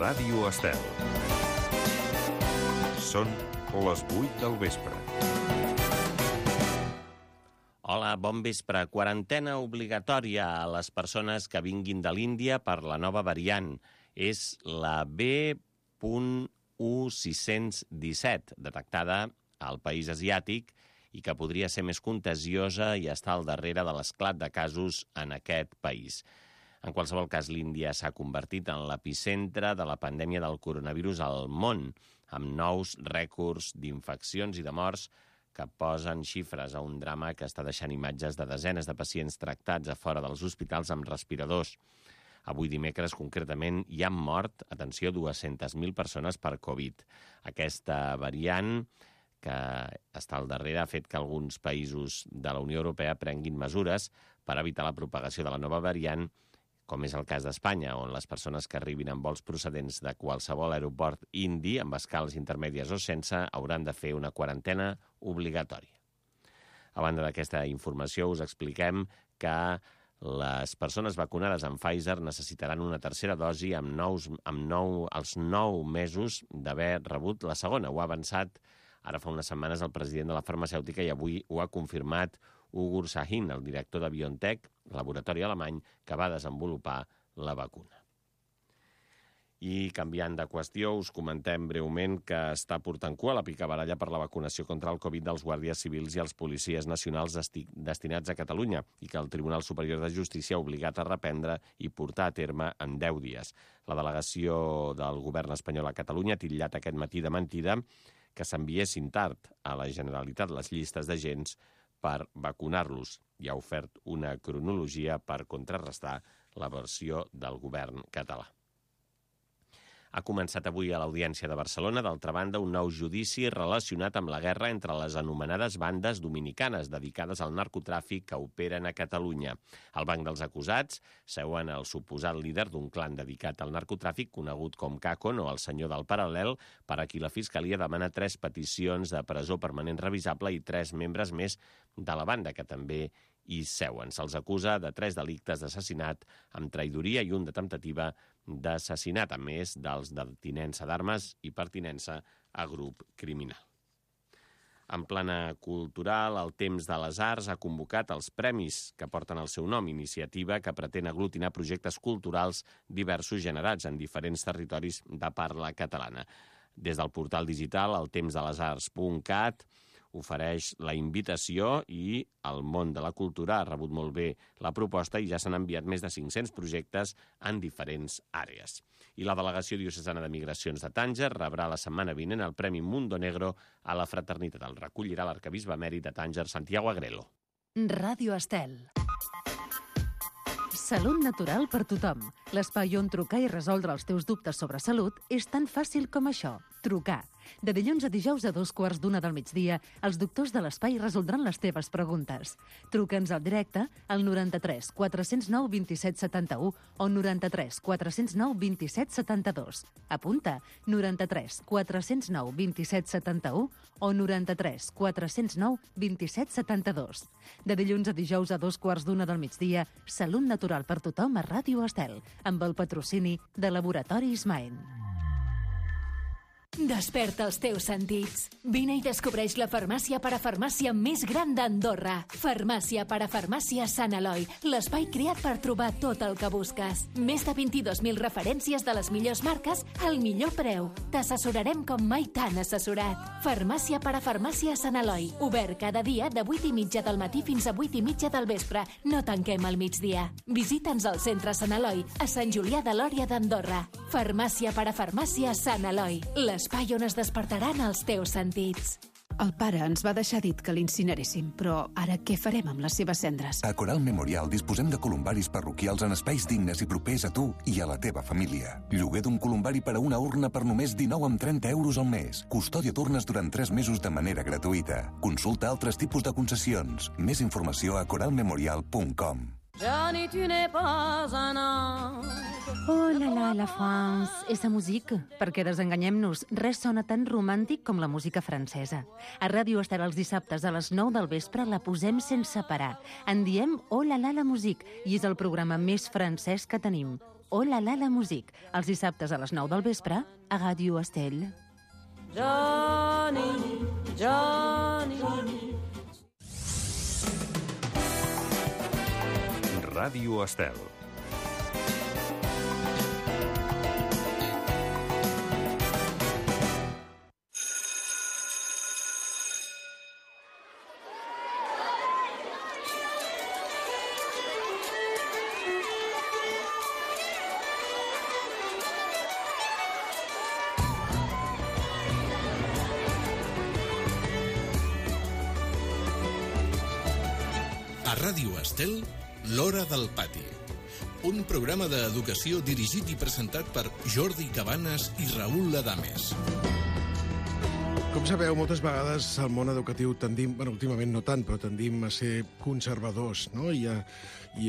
Ràdio Estel. Són les 8 del vespre. Hola, bon vespre. Quarantena obligatòria a les persones que vinguin de l'Índia per la nova variant. És la B.1617, detectada al país asiàtic i que podria ser més contagiosa i estar al darrere de l'esclat de casos en aquest país. En qualsevol cas, l'Índia s'ha convertit en l'epicentre de la pandèmia del coronavirus al món, amb nous rècords d'infeccions i de morts que posen xifres a un drama que està deixant imatges de desenes de pacients tractats a fora dels hospitals amb respiradors. Avui dimecres, concretament, hi han mort, atenció, 200.000 persones per Covid. Aquesta variant que està al darrere ha fet que alguns països de la Unió Europea prenguin mesures per evitar la propagació de la nova variant, com és el cas d'Espanya, on les persones que arribin amb vols procedents de qualsevol aeroport indi, amb escales intermèdies o sense, hauran de fer una quarantena obligatòria. A banda d'aquesta informació, us expliquem que les persones vacunades amb Pfizer necessitaran una tercera dosi als 9 mesos d'haver rebut la segona. Ho ha avançat ara fa unes setmanes el president de la farmacèutica i avui ho ha confirmat Ugur Sahin, el director de BioNTech, laboratori alemany, que va desenvolupar la vacuna. I canviant de qüestió, us comentem breument que està portant cua la picabaralla per la vacunació contra el Covid dels guàrdies civils i els policies nacionals destinats a Catalunya i que el Tribunal Superior de Justícia ha obligat a reprendre i portar a terme en 10 dies. La delegació del govern espanyol a Catalunya ha titllat aquest matí de mentida que s'enviessin tard a la Generalitat les llistes d'agents per vacunar-los i ha ofert una cronologia per contrarrestar la versió del govern català. Ha començat avui a l'Audiència de Barcelona, d'altra banda, un nou judici relacionat amb la guerra entre les anomenades bandes dominicanes dedicades al narcotràfic que operen a Catalunya. Al banc dels acusats seuen el suposat líder d'un clan dedicat al narcotràfic, conegut com Cacon o el senyor del Paral·lel, per a qui la Fiscalia demana 3 peticions de presó permanent revisable i 3 membres més de la banda, que també hi seuen. Se'ls acusa de 3 delictes d'assassinat amb traïdoria i un de temptativa d'assassinat, a més dels de tinença d'armes i pertinença a grup criminal. En plana cultural, el Temps de les Arts ha convocat els premis que porten el seu nom, iniciativa que pretén aglutinar projectes culturals diversos generats en diferents territoris de parla catalana. Des del portal digital, eltempsdelesarts.cat, ofereix la invitació i el món de la cultura ha rebut molt bé la proposta i ja s'han enviat més de 500 projectes en diferents àrees. I la Delegació Diocesana de Migracions de Tànger rebrà la setmana vinent el Premi Mundo Negro a la fraternitat. El recollirà l'arquebisbe emèrit de Tànger, Santiago Agrelo. Ràdio Estel. Salut natural per tothom. L'espai on trucar i resoldre els teus dubtes sobre salut és tan fàcil com això. Trucar. De dilluns a dijous a 2:15 del migdia, els doctors de l'espai resoldran les teves preguntes. Truca'ns al directe al 93 409 27 71 o 93 409 27 72. Apunta, 93 409 27 71 o 93 409 27 72. De dilluns a dijous a 2:15 del migdia, Salut natural per tothom a Ràdio Estel, amb el patrocini de Laboratoris Maen. Desperta els teus sentits. Vine i descobreix la farmàcia parafarmàcia més gran d'Andorra. Farmàcia parafarmàcia Sant Eloi, l'espai creat per trobar tot el que busques. Més de 22.000 referències de les millors marques al millor preu. T'assessorarem com mai t'han assessorat. Farmàcia parafarmàcia Sant Eloi, obert cada dia de 8:30 del matí fins a 8:30 del vespre. No tanquem al migdia. Visita'ns al centre Sant Eloi, a Sant Julià de Lòria d'Andorra. Farmàcia parafarmàcia Sant Eloi, l'espai on es despertaran els teus sentits. El pare ens va deixar dit que l'incineréssim, però ara què farem amb les seves cendres? A Coral Memorial disposem de columbaris parroquials en espais dignes i propers a tu i a la teva família. Lloguer d'un columbari per a una urna per només 19,30 € al mes. Custòdia d'urnes durant 3 mesos de manera gratuïta. Consulta altres tipus de concessions. Més informació a coralmemorial.com. Johnny, tu n'es pas un ange. Oh la la, la France, esa música. Perquè desenganyem-nos, res sona tan romàntic com la música francesa. A Ràdio Estel els dissabtes a les 9 del vespre la posem sense parar. En diem Oh la la, la musique, i és el programa més francès que tenim. Oh la la musique, els dissabtes a les 9 del vespre a Ràdio Estel. Johnny, Johnny. Ràdio Estel. A Ràdio Estel, L'Hora del Pati. Un programa d'educació dirigit i presentat per Jordi Cabanes i Raül Adames. Com sabeu, moltes vegades al món educatiu tendim, últimament no tant, però tendim a ser conservadors, no? I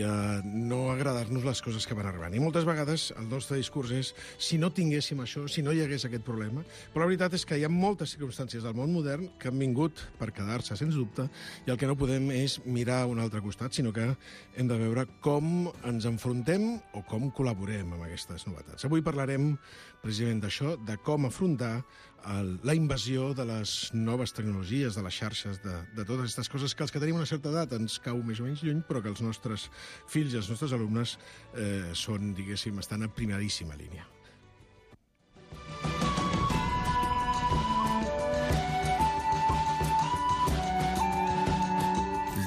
a no agradar-nos les coses que van arribant. I moltes vegades el nostre discurs és si no tinguéssim això, si no hi hagués aquest problema. Però la veritat és que hi ha moltes circumstàncies del món modern que han vingut per quedar-se, sens dubte, i el que no podem és mirar a un altre costat, sinó que hem de veure com ens enfrontem o com col·laborem amb aquestes novetats. Avui parlarem precisament d'això, de com afrontar la invasió de les noves tecnologies, de les xarxes, de totes aquestes coses que els que tenim una certa edat ens cau més o menys lluny, però que els nostres fills i els nostres alumnes són, diguéssim, estan a primeríssima línia.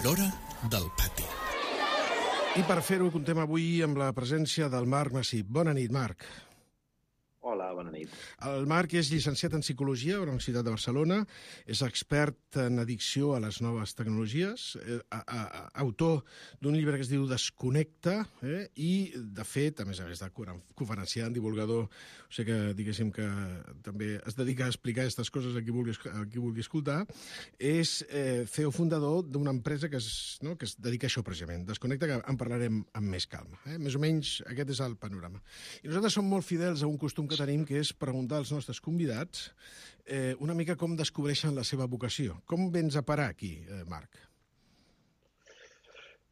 L'Hora del Pati. I per fer-ho contem avui amb la presència del Marc Massip. Bona nit, Marc. Hola, bona nit. El Marc és llicenciat en Psicologia a la Universitat de Barcelona, és expert en addicció a les noves tecnologies, autor d'un llibre que es diu Desconnecta, i, de fet, a més de conferenciant, divulgador, o sigui que, diguéssim, que també es dedica a explicar aquestes coses a qui vulgui escoltar, és CEO fundador d'una empresa que es dedica a això precisament, Desconnecta, que en parlarem amb més calma. Més o menys aquest és el panorama. I nosaltres som molt fidels a un costum que tenim, que és preguntar als nostres convidats una mica com descobreixen la seva vocació. Com vens a parar aquí, Marc?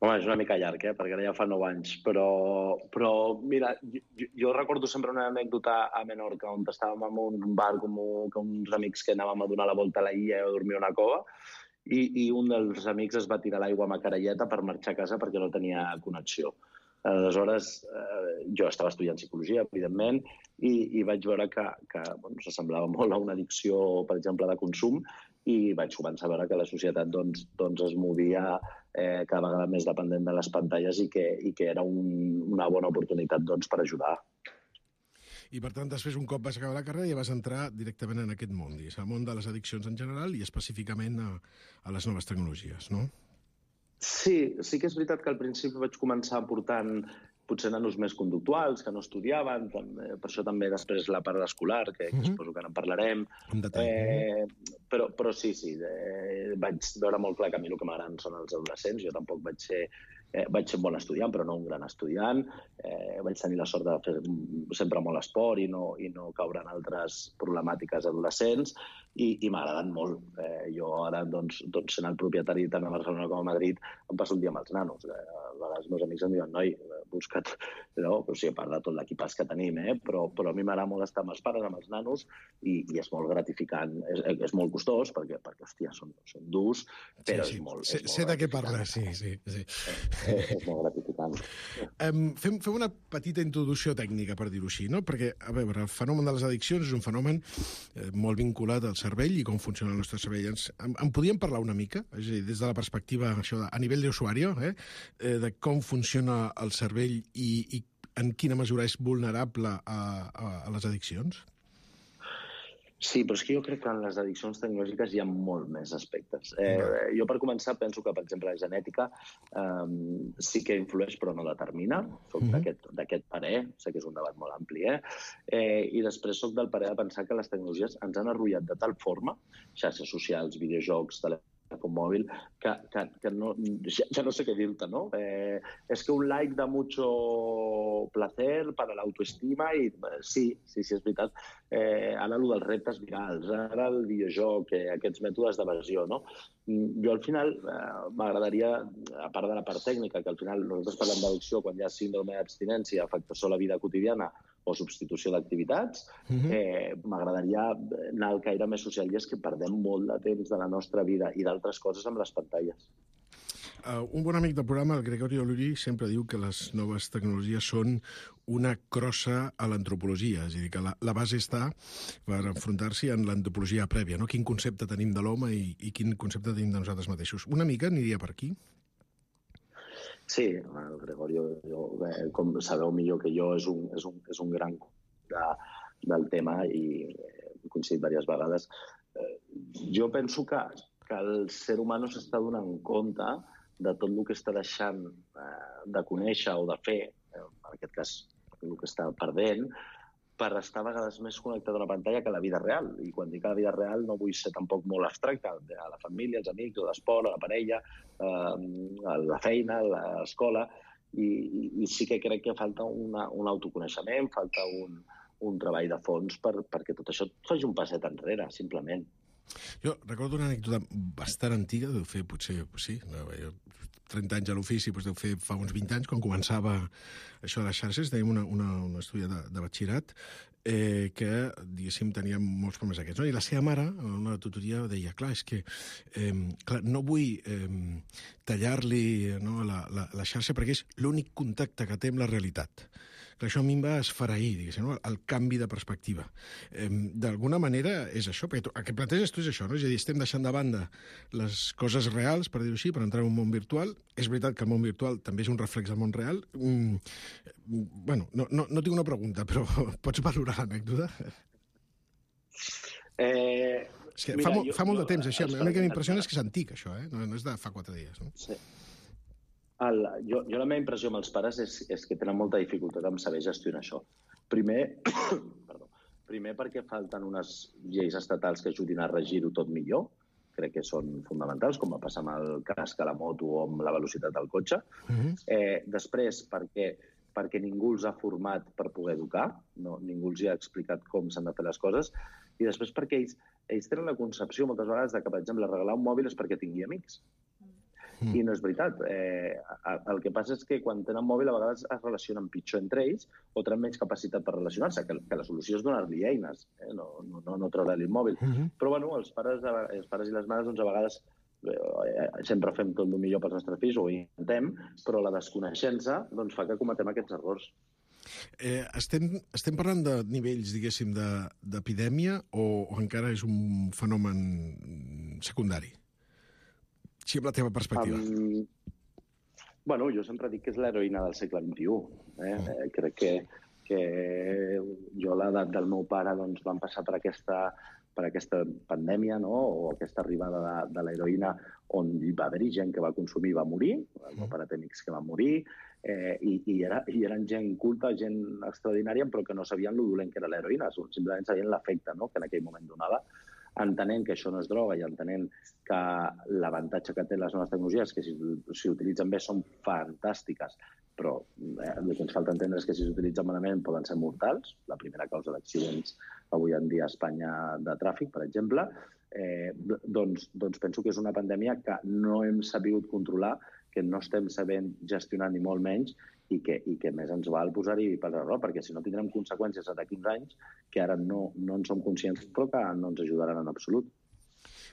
Home, és una mica llarg, perquè ara ja fa 9 anys, però mira, jo recordo sempre una anècdota a Menorca, on estàvem en un bar com uns amics que anàvem a donar la volta a la illa i a dormir a una cova, i un dels amics es va tirar a l'aigua amb caralleta per marxar a casa perquè no tenia connexió. Aleshores, jo estava estudiant psicologia, evidentment, i vaig veure que s'assemblava molt a una addicció, per exemple, de consum, i vaig començar a veure que la societat es movia cada vegada més dependent de les pantalles i que era una bona oportunitat per ajudar. I, per tant, després, un cop vas acabar la carrera, ja vas entrar directament en aquest món, al món de les addiccions en general i específicament a les noves tecnologies, no? Sí que és veritat que al principi vaig començar portant potser nanos més conductuals, que no estudiaven, per això també després la part escolar, que suposo que ara en parlarem. Però sí, vaig veure molt clar que a mi el que m'agraden són els adolescents. Jo tampoc vaig ser un bon estudiant, però no un gran estudiant. Vaig tenir la sort de fer sempre molt esport i no caure en altres problemàtiques adolescents, i m'agraden molt. Jo ara, sent el propietari tant a Barcelona com a Madrid, em passo un dia amb els nanos. A vegades els meus amics em diuen, noi, busca't, a part de tot l'equipàs que tenim, però a mi m'agrada molt estar amb els pares, amb els nanos, i és molt gratificant. És molt costós, perquè hòstia, són durs, però és molt... Sé de què parles, sí. És molt gratificant. Fem una petita introducció tècnica, per dir-ho així, no? Perquè, a veure, el fenomen de les addiccions és un fenomen molt vinculat al cervell i com funciona el nostre cervell. En podíem parlar una mica? És a dir, des de la perspectiva a nivell d'usuari, de com funciona el cervell i en quina mesura és vulnerable a les addiccions? Sí, però és que jo crec que en les addiccions tecnològiques hi ha molt més aspectes. Jo, per començar, penso que, per exemple, la genètica sí que influeix, però no determina. Soc d'aquest parer, sé que és un debat molt ampli, i després soc del parer de pensar que les tecnologies ens han arrullat de tal forma, xarxes socials, videojocs, com mòbil, que no, ja no sé què dir-te, no? És que un like da mucho placer para l'autoestima i sí, és veritat. Ara allò dels reptes virals, ara el videojoc, aquests mètodes d'evasió, no? Jo al final m'agradaria, a part de la part tècnica, que al final nosaltres parlem d'addicció quan hi ha síndrome d'abstinència, afectació a la vida quotidiana o substitució d'activitats, m'agradaria anar al caire més social i és que perdem molt de temps de la nostra vida i d'altres coses amb les pantalles. Un bon amic del programa, el Gregorio Luri, sempre diu que les noves tecnologies són una crossa a l'antropologia, és a dir, que la base està per enfrontar-s'hi en l'antropologia prèvia, no? Quin concepte tenim de l'home i quin concepte tenim de nosaltres mateixos. Una mica aniria per aquí? Sí, el Gregorio, com sabeu millor que jo, és un gran del tema i he coincidit diverses vegades. Jo penso que el ser humà no s'està donant compte de tot el que està deixant de conèixer o de fer, en aquest cas el que està perdent, per estar a vegades més connectat a una pantalla que a la vida real. I quan dic a la vida real no vull ser tampoc molt abstracte, a la família, als amics, a l'esport, a la parella, a la feina, a l'escola, i sí que crec que falta un autoconeixement, falta un treball de fons perquè tot això faci un passet enrere, simplement. Jo recordo una anècdota bastant antiga, deu fer potser, sí, 30 anys a l'ofici, doncs deu fer fa uns 20 anys, quan començava això de les xarxes, teníem una estudiant de batxillerat que, diguéssim, tenia molts problemes aquests, no? I la seva mare, en una tutoria, deia, clar, és que no vull tallar-li la xarxa perquè és l'únic contacte que té amb la realitat. Que això a mi em va esfereir, diguéssim, no? El canvi de perspectiva. D'alguna manera és això, perquè el que planteges tu és això, no? És a dir, estem deixant de banda les coses reals, per dir-ho així, per entrar en un món virtual. És veritat que el món virtual també és un reflex del món real. Bueno, no tinc una pregunta, però pots valorar l'anècdota? És que fa molt de temps, així. L'únic que m'impressiona és que és antic, això, no és de fa 4 dies. No? Sí. Jo la meva impressió amb els pares és que tenen molta dificultat en saber gestionar això. Primer perquè falten unes lleis estatals que ajudin a regir-ho tot millor, crec que són fonamentals, com va passar amb el casc a la moto o amb la velocitat del cotxe. Després perquè ningú els ha format per poder educar, ningú els ha explicat com s'han de fer les coses, i després perquè ells tenen la concepció moltes vegades que, per exemple, regalar un mòbil és perquè tingui amics. I no és veritat. El que passa és que quan tenen mòbil a vegades es relacionen pitjor entre ells o tenen menys capacitat per relacionar-se, que la solució és donar-li eines, no treure-li el mòbil. Però bueno, els pares i les mares doncs, a vegades sempre fem tot el millor pels nostres fills, o ho intentem, però la desconeixença doncs, fa que cometem aquests errors. Estem parlant de nivells, diguéssim, d'epidèmia o encara és un fenomen secundari? Sí, amb la teva perspectiva. Bueno, jo sempre dic que és l'heroïna del segle XXI. Crec que jo a l'edat del meu pare doncs, vam passar per aquesta pandèmia, no? O aquesta arribada de l'heroïna on hi va haver-hi gent que va consumir i va morir. El meu pare té amics que van morir i eren gent culta, gent extraordinària, però que no sabien lo dolent que era l'heroïna. Simplement sabien l'efecte, no? Que en aquell moment donava. Entenent que això no és droga i entenent que l'avantatge que té les noves tecnologies, que si s'utilitzen bé són fantàstiques, però el que ens falta entendre és que si s'utilitzen malament poden ser mortals. La primera causa d'accidents avui en dia a Espanya de tràfic, per exemple, doncs penso que és una pandèmia que no hem sabut controlar, que no estem sabent gestionar ni molt menys i que més ens val posar-hi per l'error, perquè si no tindrem conseqüències d'aquí uns anys que ara no en som conscients, però que no ens ajudaran en absolut.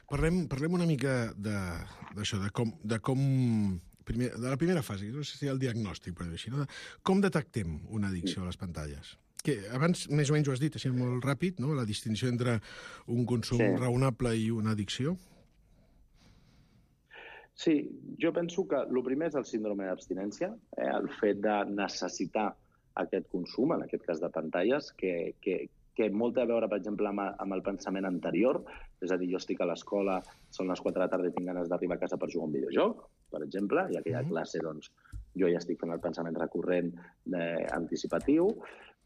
Parlem una mica d'això, de la primera fase, no sé si el diagnòstic, per dir-ho així, no? Com detectem una addicció a les pantalles? Que abans més o menys ho has dit, així molt ràpid, no? La distinció entre un consum raonable i una addicció. Sí, jo penso que el primer és el síndrome d'abstinència, el fet de necessitar aquest consum, en aquest cas de pantalles, que molt té a veure, per exemple, amb el pensament anterior, és a dir, jo estic a l'escola, són les 4 de la tarda i tinc ganes d'arribar a casa per jugar a un videojoc, per exemple, i aquella classe, doncs, jo ja estic fent el pensament recurrent anticipatiu.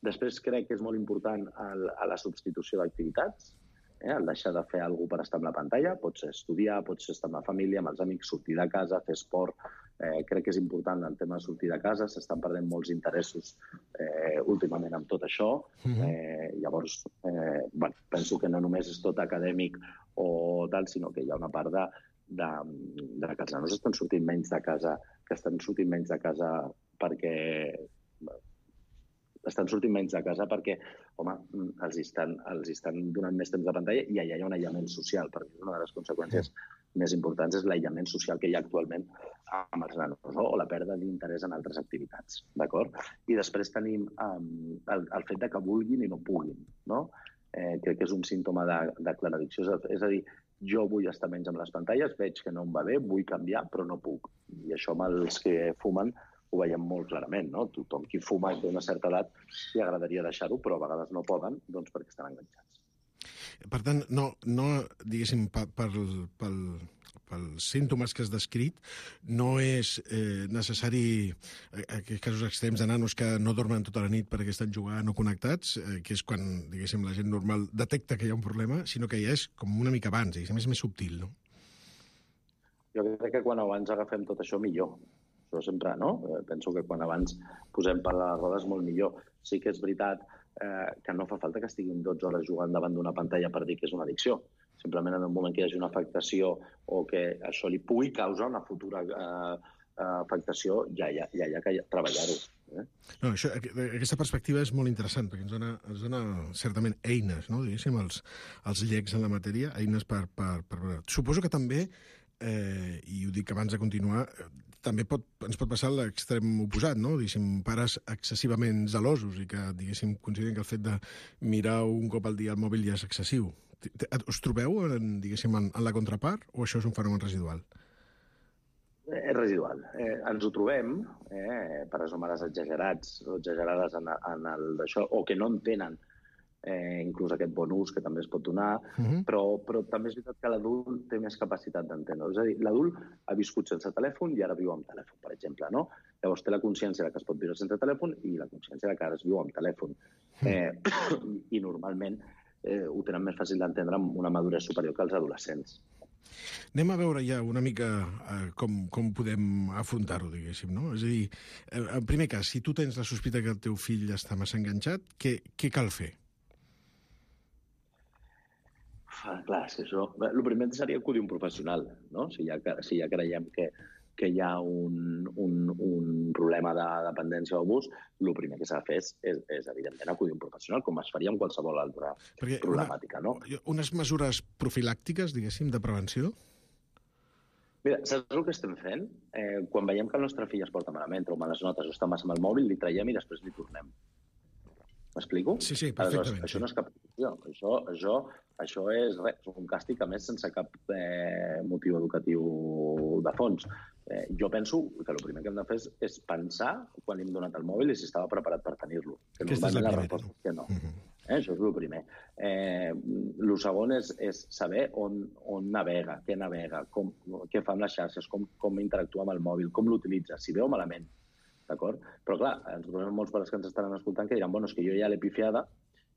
Després crec que és molt important a la substitució d'activitats, El deixar de fer alguna cosa per estar amb la pantalla, pot ser estudiar, pot ser estar amb la família, amb els amics, sortir de casa, fer esport. Crec que és important el tema de sortir de casa, s'estan perdent molts interessos últimament amb tot això. Llavors, penso que no només és tot acadèmic o tal, sinó que hi ha una part de que els nanos estan sortint menys de casa, perquè home, els estan donant més temps de pantalla i allà hi ha un aïllament social, perquè una de les conseqüències més importants és l'aïllament social que hi ha actualment amb els nanos, no? O la pèrdua d'interès en altres activitats, d'acord? I després tenim el fet de que vulguin i no puguin, no? Crec que és un símptoma de claraddicció, és a dir, jo vull estar menys amb les pantalles, veig que no em va bé, vull canviar, però no puc. I això amb els que fumen ho veiem molt clarament, no? Tothom qui fuma té una certa edat li agradaria deixar-ho, però a vegades no poden, doncs perquè estan enganxats. Per tant, no diguéssim, pels símptomes que has descrit, no és necessari aquests casos extrems de nanos que no dormen tota la nit perquè estan jugant o connectats, que és quan, diguéssim, la gent normal detecta que hi ha un problema, sinó que ja és com una mica abans, diguéssim, és més subtil, no? Jo crec que quan abans agafem tot això, millor. Això sempre, no? Penso que quan abans posem per les rodes, molt millor. Sí que és veritat que no fa falta que estiguin 12 hores jugant davant d'una pantalla per dir que és una addicció. Simplement en el moment que hi hagi una afectació o que això li pugui causar una futura afectació, ja hi ha que treballar-ho. No, aquesta perspectiva és molt interessant, perquè ens dona certament eines, no? Diguéssim, els llecs en la matèria, eines per... Suposo que també, i ho dic abans de continuar, també ens pot passar l'extrem oposat, no? Diguéssim, pares excessivament gelosos i que, diguéssim, consideren que el fet de mirar un cop al dia el mòbil ja és excessiu. Us trobeu, diguéssim, en la contrapart, o això és un fenomen residual? És residual. Ens ho trobem, pares o mares exagerats o exagerades en el d'això, o que no entenen inclús aquest bon ús que també es pot donar, però també és veritat que l'adult té més capacitat d'entendre. És a dir, l'adult ha viscut sense telèfon i ara viu amb telèfon, per exemple, no? Llavors té la consciència que es pot viure sense telèfon i la consciència que ara es viu amb telèfon. I normalment ho tenen més fàcil d'entendre amb una maduresa superior que els adolescents. Anem a veure ja una mica com podem afrontar-ho, diguéssim, no? És a dir, en primer cas, si tu tens la sospita que el teu fill està massa enganxat, què cal fer? Clar, és que això... El primer seria acudir un professional, no? Si ja creiem que hi ha un problema de dependència o abús, el primer que s'ha de fer és evidentment, acudir un professional, com es faria amb qualsevol altra problemàtica, no? Unes mesures profilàctiques, diguéssim, de prevenció? Mira, saps el que estem fent? Quan veiem que el nostre fill es porta malament, treu males notes o està massa amb el mòbil, li traiem i després li tornem. M'explico? Sí, perfectament. Això no és cap opció. Això és un càstig, a més, sense cap motiu educatiu de fons. Jo penso que el primer que hem de fer és pensar quan li hem donat el mòbil i si estava preparat per tenir-lo. Aquesta és la primera, resposta és que no. Això és el primer. El segon és saber on navega, què navega, què fa amb les xarxes, com interactua amb el mòbil, com l'utilitza, si veu malament. D'acord? Però, clar, ens trobem molts pares que ens estaran escoltant que diran, bueno, és que jo ja l'he pifiada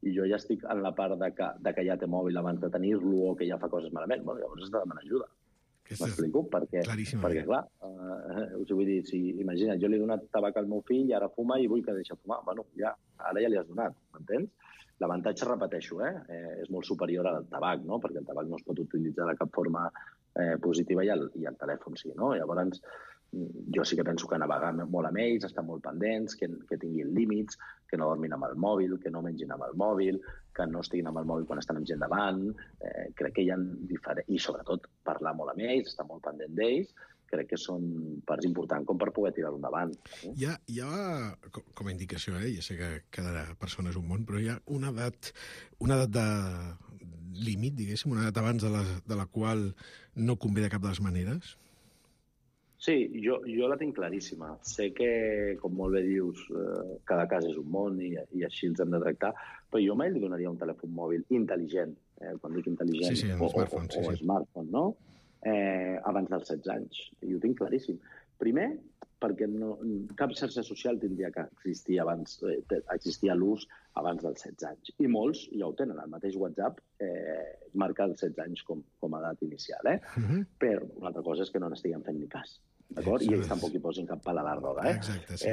i jo ja estic en la part de que ja té mòbil abans de tenir-lo o que ja fa coses malament. Bueno, llavors has de demanar ajuda. M'explico? Perquè, clar, us vull dir, imagina't, jo li he donat tabac al meu fill i ara fuma i vull que deixi fumar. Bueno, ara ja li has donat, m'entens? L'avantatge, repeteixo, és molt superior al tabac, no? Perquè el tabac no es pot utilitzar de cap forma positiva i el telèfon sí, no? Llavors, jo sí que penso que navegar molt amb ells, estar molt pendents, que tinguin límits, que no dormin amb el mòbil, que no mengin amb el mòbil, que no estiguin amb el mòbil quan estan amb gent davant. Crec que hi ha diferents... I sobretot parlar molt amb ells, estar molt pendent d'ells, crec que són parts importants com per poder tirar-ho endavant. Hi ha, com a indicació, ja sé que cada persona és un món, però hi ha una edat de límit, diguéssim, una edat abans de la qual no convé de cap de les maneres? Sí, jo la tinc claríssima. Sé que, com molt bé dius, cada cas és un món i així els hem de tractar, però jo mai li donaria un telèfon mòbil intel·ligent, quan dic intel·ligent, o smartphone, no? Abans dels 16 anys. I ho tinc claríssim. Primer, perquè cap xarxa social tindria que existir abans, existia l'ús abans dels 16 anys. I molts ja ho tenen. El mateix WhatsApp marca els 16 anys com a edat inicial. Però una altra cosa és que no n'estiguem fent ni cas. D'acord? I ells tampoc hi posin cap pal a la roda. Exacte, sí.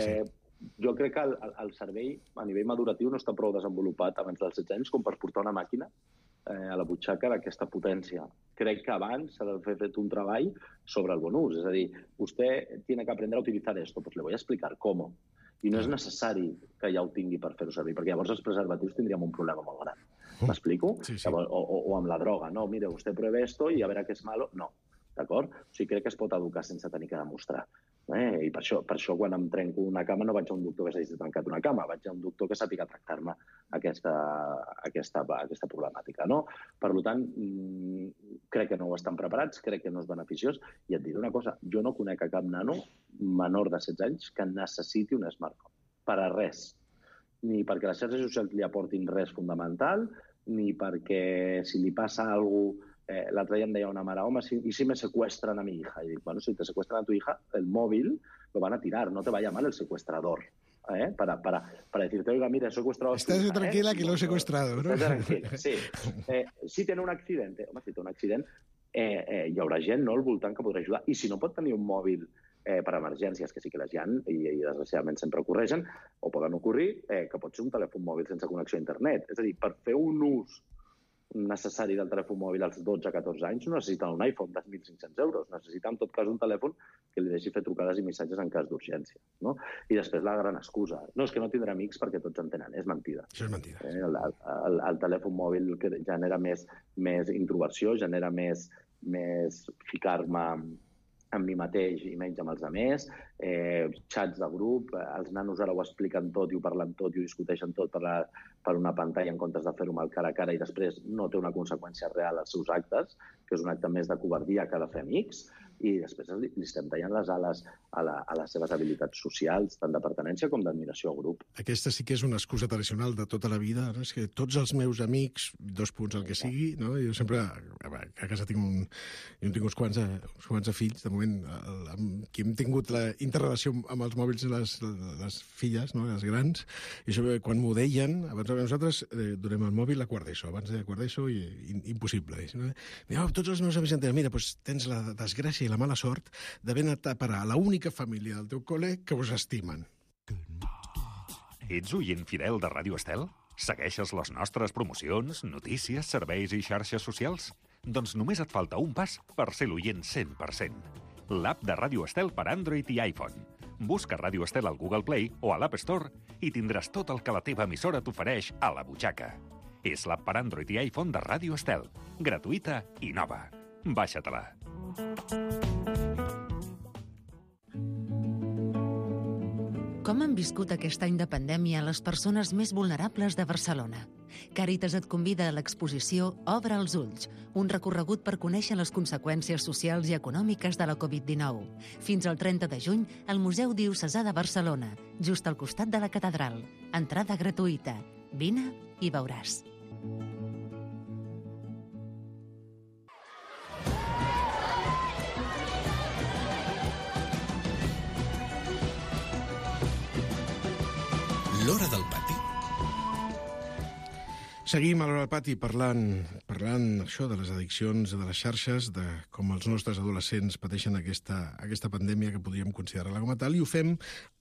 Jo crec que el cervell, a nivell maduratiu, no està prou desenvolupat abans dels 16 anys com per portar una màquina a la butxaca d'aquesta potència. Crec que abans s'ha de fer un treball sobre el bon ús. És a dir, vostè tiene que aprender a utilitzar esto, pues le voy a explicar cómo. I no és necessari que ja ho tingui per fer-ho servir, perquè llavors els preservatius tindríem un problema molt gran. M'explico? Sí. O amb la droga. No, mire, usted pruebe esto y a veure què és malo. No, d'acord? O sigui, crec que es pot educar sense tenir que demostrar. I per això quan em trenco una cama no vaig a un doctor que s'hagi trencat una cama, vaig a un doctor que sàpiga tractar-me aquesta problemàtica. No? Per tant, crec que no ho estan preparats, crec que no és beneficiós, i et diré una cosa, jo no conec a cap nano menor de 16 anys que necessiti un smartphone, per a res. Ni perquè les xarxes socials li aportin res fundamental, ni perquè si li passa alguna cosa. L'altre dia em deia una mare, home, ¿y si me secuestran a mi hija? Y digo, bueno, si te secuestran a tu hija, el móvil lo van a tirar, no te va a llamar el secuestrador. Para decirte, oiga, mira, he secuestrado a tu hija. Estás tranquila que lo he secuestrado, ¿no? Estás tranquila, sí. Si tiene un accidente, home, si té un accident, hi haurà gent al voltant que podrà ajudar. I si no pot tenir un mòbil per emergències, que sí que les hi ha, i desgraciadament sempre ocorreixen, o poden ocorrir, que pot ser un telèfon mòbil sense connexió a internet. És a dir, per fer un ús necessari del telèfon mòbil als 12-14 anys no necessiten un iPhone de 1.500 euros. Necessita, en tot cas, un telèfon que li deixi fer trucades i missatges en cas d'urgència. No? I després la gran excusa. No, és que no tindrà amics perquè tots en tenen. És mentida. Això és mentida. El telèfon mòbil genera més introversió, genera més ficar-me amb mi mateix i menys amb els altres, xats de grup, els nanos ara ho expliquen tot i ho parlen tot i ho discuteixen tot per una pantalla en comptes de fer-ho amb el cara a cara i després no té una conseqüència real als seus actes, que és un acte més de covardia que de fer amics, i després li estem tallant les ales a les seves habilitats socials, tant de pertinença com d'admiració al grup. Aquesta sí que és una excusa tradicional de tota la vida, no? És que tots els meus amics, 2 punts el que sigui, no? Jo sempre, a casa tinc uns quants de fills, de moment, amb qui hem tingut la interrelació amb els mòbils de les filles, no? Les grans, i això, quan m'ho deien, abans nosaltres donem el mòbil a quart d'ESO, abans de quart d'ESO, impossible. No? Tots els meus amics em diuen, mira, doncs tens la desgràcia i la mala sort d'haver anat a parar a l'única família del teu col·le que us estimen. Ets oient fidel de Ràdio Estel? Segueixes les nostres promocions, notícies, serveis i xarxes socials? Doncs només et falta un pas per ser l'oient 100%. L'app de Ràdio Estel per Android i iPhone. Busca Ràdio Estel al Google Play o a l'App Store i tindràs tot el que la teva emissora t'ofereix a la butxaca. És l'app per Android i iPhone de Ràdio Estel. Gratuïta i nova. Baixa-te-la. Com han viscut aquest any de pandèmia les persones més vulnerables de Barcelona? Càritas et convida a l'exposició Obre els ulls, un recorregut per conèixer les conseqüències socials i econòmiques de la Covid-19. Fins al 30 de juny, al Museu Diocesà de Barcelona, just al costat de la catedral. Entrada gratuïta. Vine i veuràs. L'Hora del Pati. Seguim a l'Hora del Pati parlant això de les addiccions, de les xarxes, de com els nostres adolescents pateixen aquesta pandèmia que podríem considerar-la com a tal, i ho fem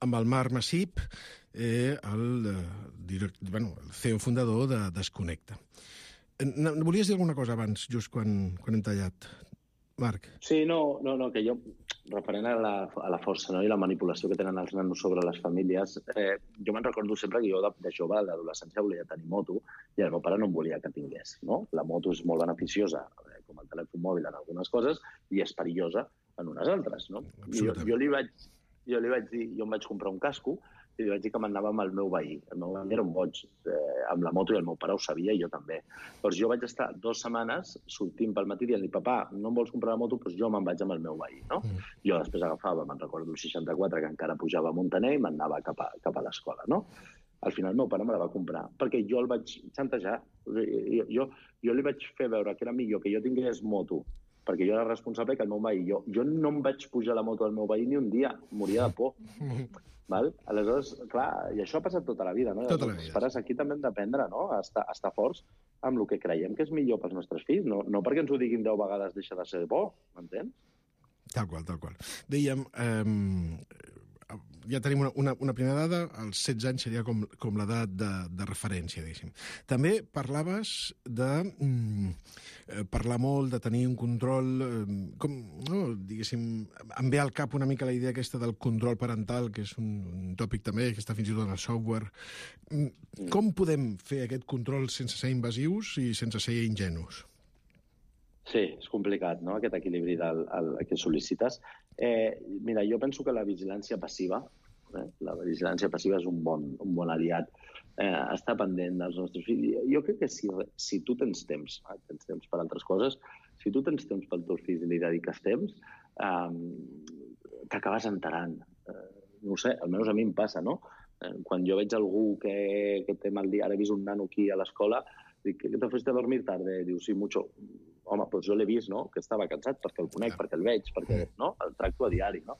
amb el Marc Massip, el CEO fundador de Desconnecta. Volies dir alguna cosa abans, just quan hem tallat? Marc. Sí, no, que jo, referent a la força, no, i la manipulació que tenen els nanos sobre les famílies, jo me'n recordo sempre que jo de jove, a l'adolescència, volia tenir moto i el meu pare no em volia que tingués. No? La moto és molt beneficiosa, com el telèfon mòbil en algunes coses, i és perillosa en unes altres. No? Jo li vaig dir, jo em vaig comprar un casco i li vaig dir que m'anava amb el meu veí. El meu veí era un boig amb la moto i el meu pare ho sabia i jo també. Doncs jo vaig estar 2 setmanes sortint pel matí dient-li, papà, no em vols comprar la moto? Doncs jo me'n vaig amb el meu veí. No? Jo després agafava, me'n recordo, el 64, que encara pujava a Montaner i m'anava cap a l'escola. No? Al final el meu pare me la va comprar, perquè jo el vaig xantejar. Jo li vaig fer veure que era millor que jo tingués moto perquè jo era responsable que el meu veí... Jo no em vaig pujar a la moto del meu veí ni un dia, moria de por. Val? Aleshores, clar, i això ha passat tota la vida, no? Tota la vida. Els pares aquí també hem d'aprendre, no? A estar forts amb el que creiem que és millor pels nostres fills, no perquè ens ho diguin 10 vegades deixa de ser bo, m'entens? Tal qual, tal qual. Dèiem, ja tenim una primera dada, als 16 anys seria com l'edat de referència, diguéssim. També parlaves de parlar molt, de tenir un control, diguéssim, em ve al cap una mica la idea aquesta del control parental, que és un tòpic també, que està fins i tot en el software. Com podem fer aquest control sense ser invasius i sense ser ingenus? Sí, és complicat, no?, aquest equilibri que sol·licites. Mira, jo penso que la vigilància passiva és un bon aliat. Estar pendent dels nostres fills. Jo crec que si tu tens temps per altres coses, si tu tens temps pels teus fills i li dediques temps, t'acabes enterant. No ho sé, almenys a mi em passa, no? Quan jo veig algú que té mal dia, ara he vist un nano aquí a l'escola, dic, ¿qué te fuiste a dormir tarde? Diu, sí, mucho. Home, doncs jo l'he vist, no?, que estava cansat perquè el conec, perquè el veig, perquè el tracto a diari, no?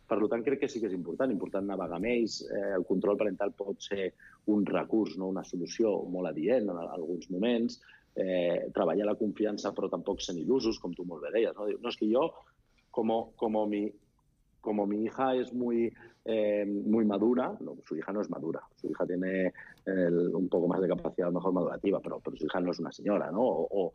Per tant, crec que sí que és important navegar amb ells. El control parental pot ser un recurs, no una solució molt adient en alguns moments. Treballar la confiança, però tampoc sent il·lusos, com tu molt bé deies, no? No, és que jo, como mi hija es muy madura, no, su hija no es madura, su hija tiene un poco más de capacidad, mejor madurativa, pero su hija no es una senyora, no? O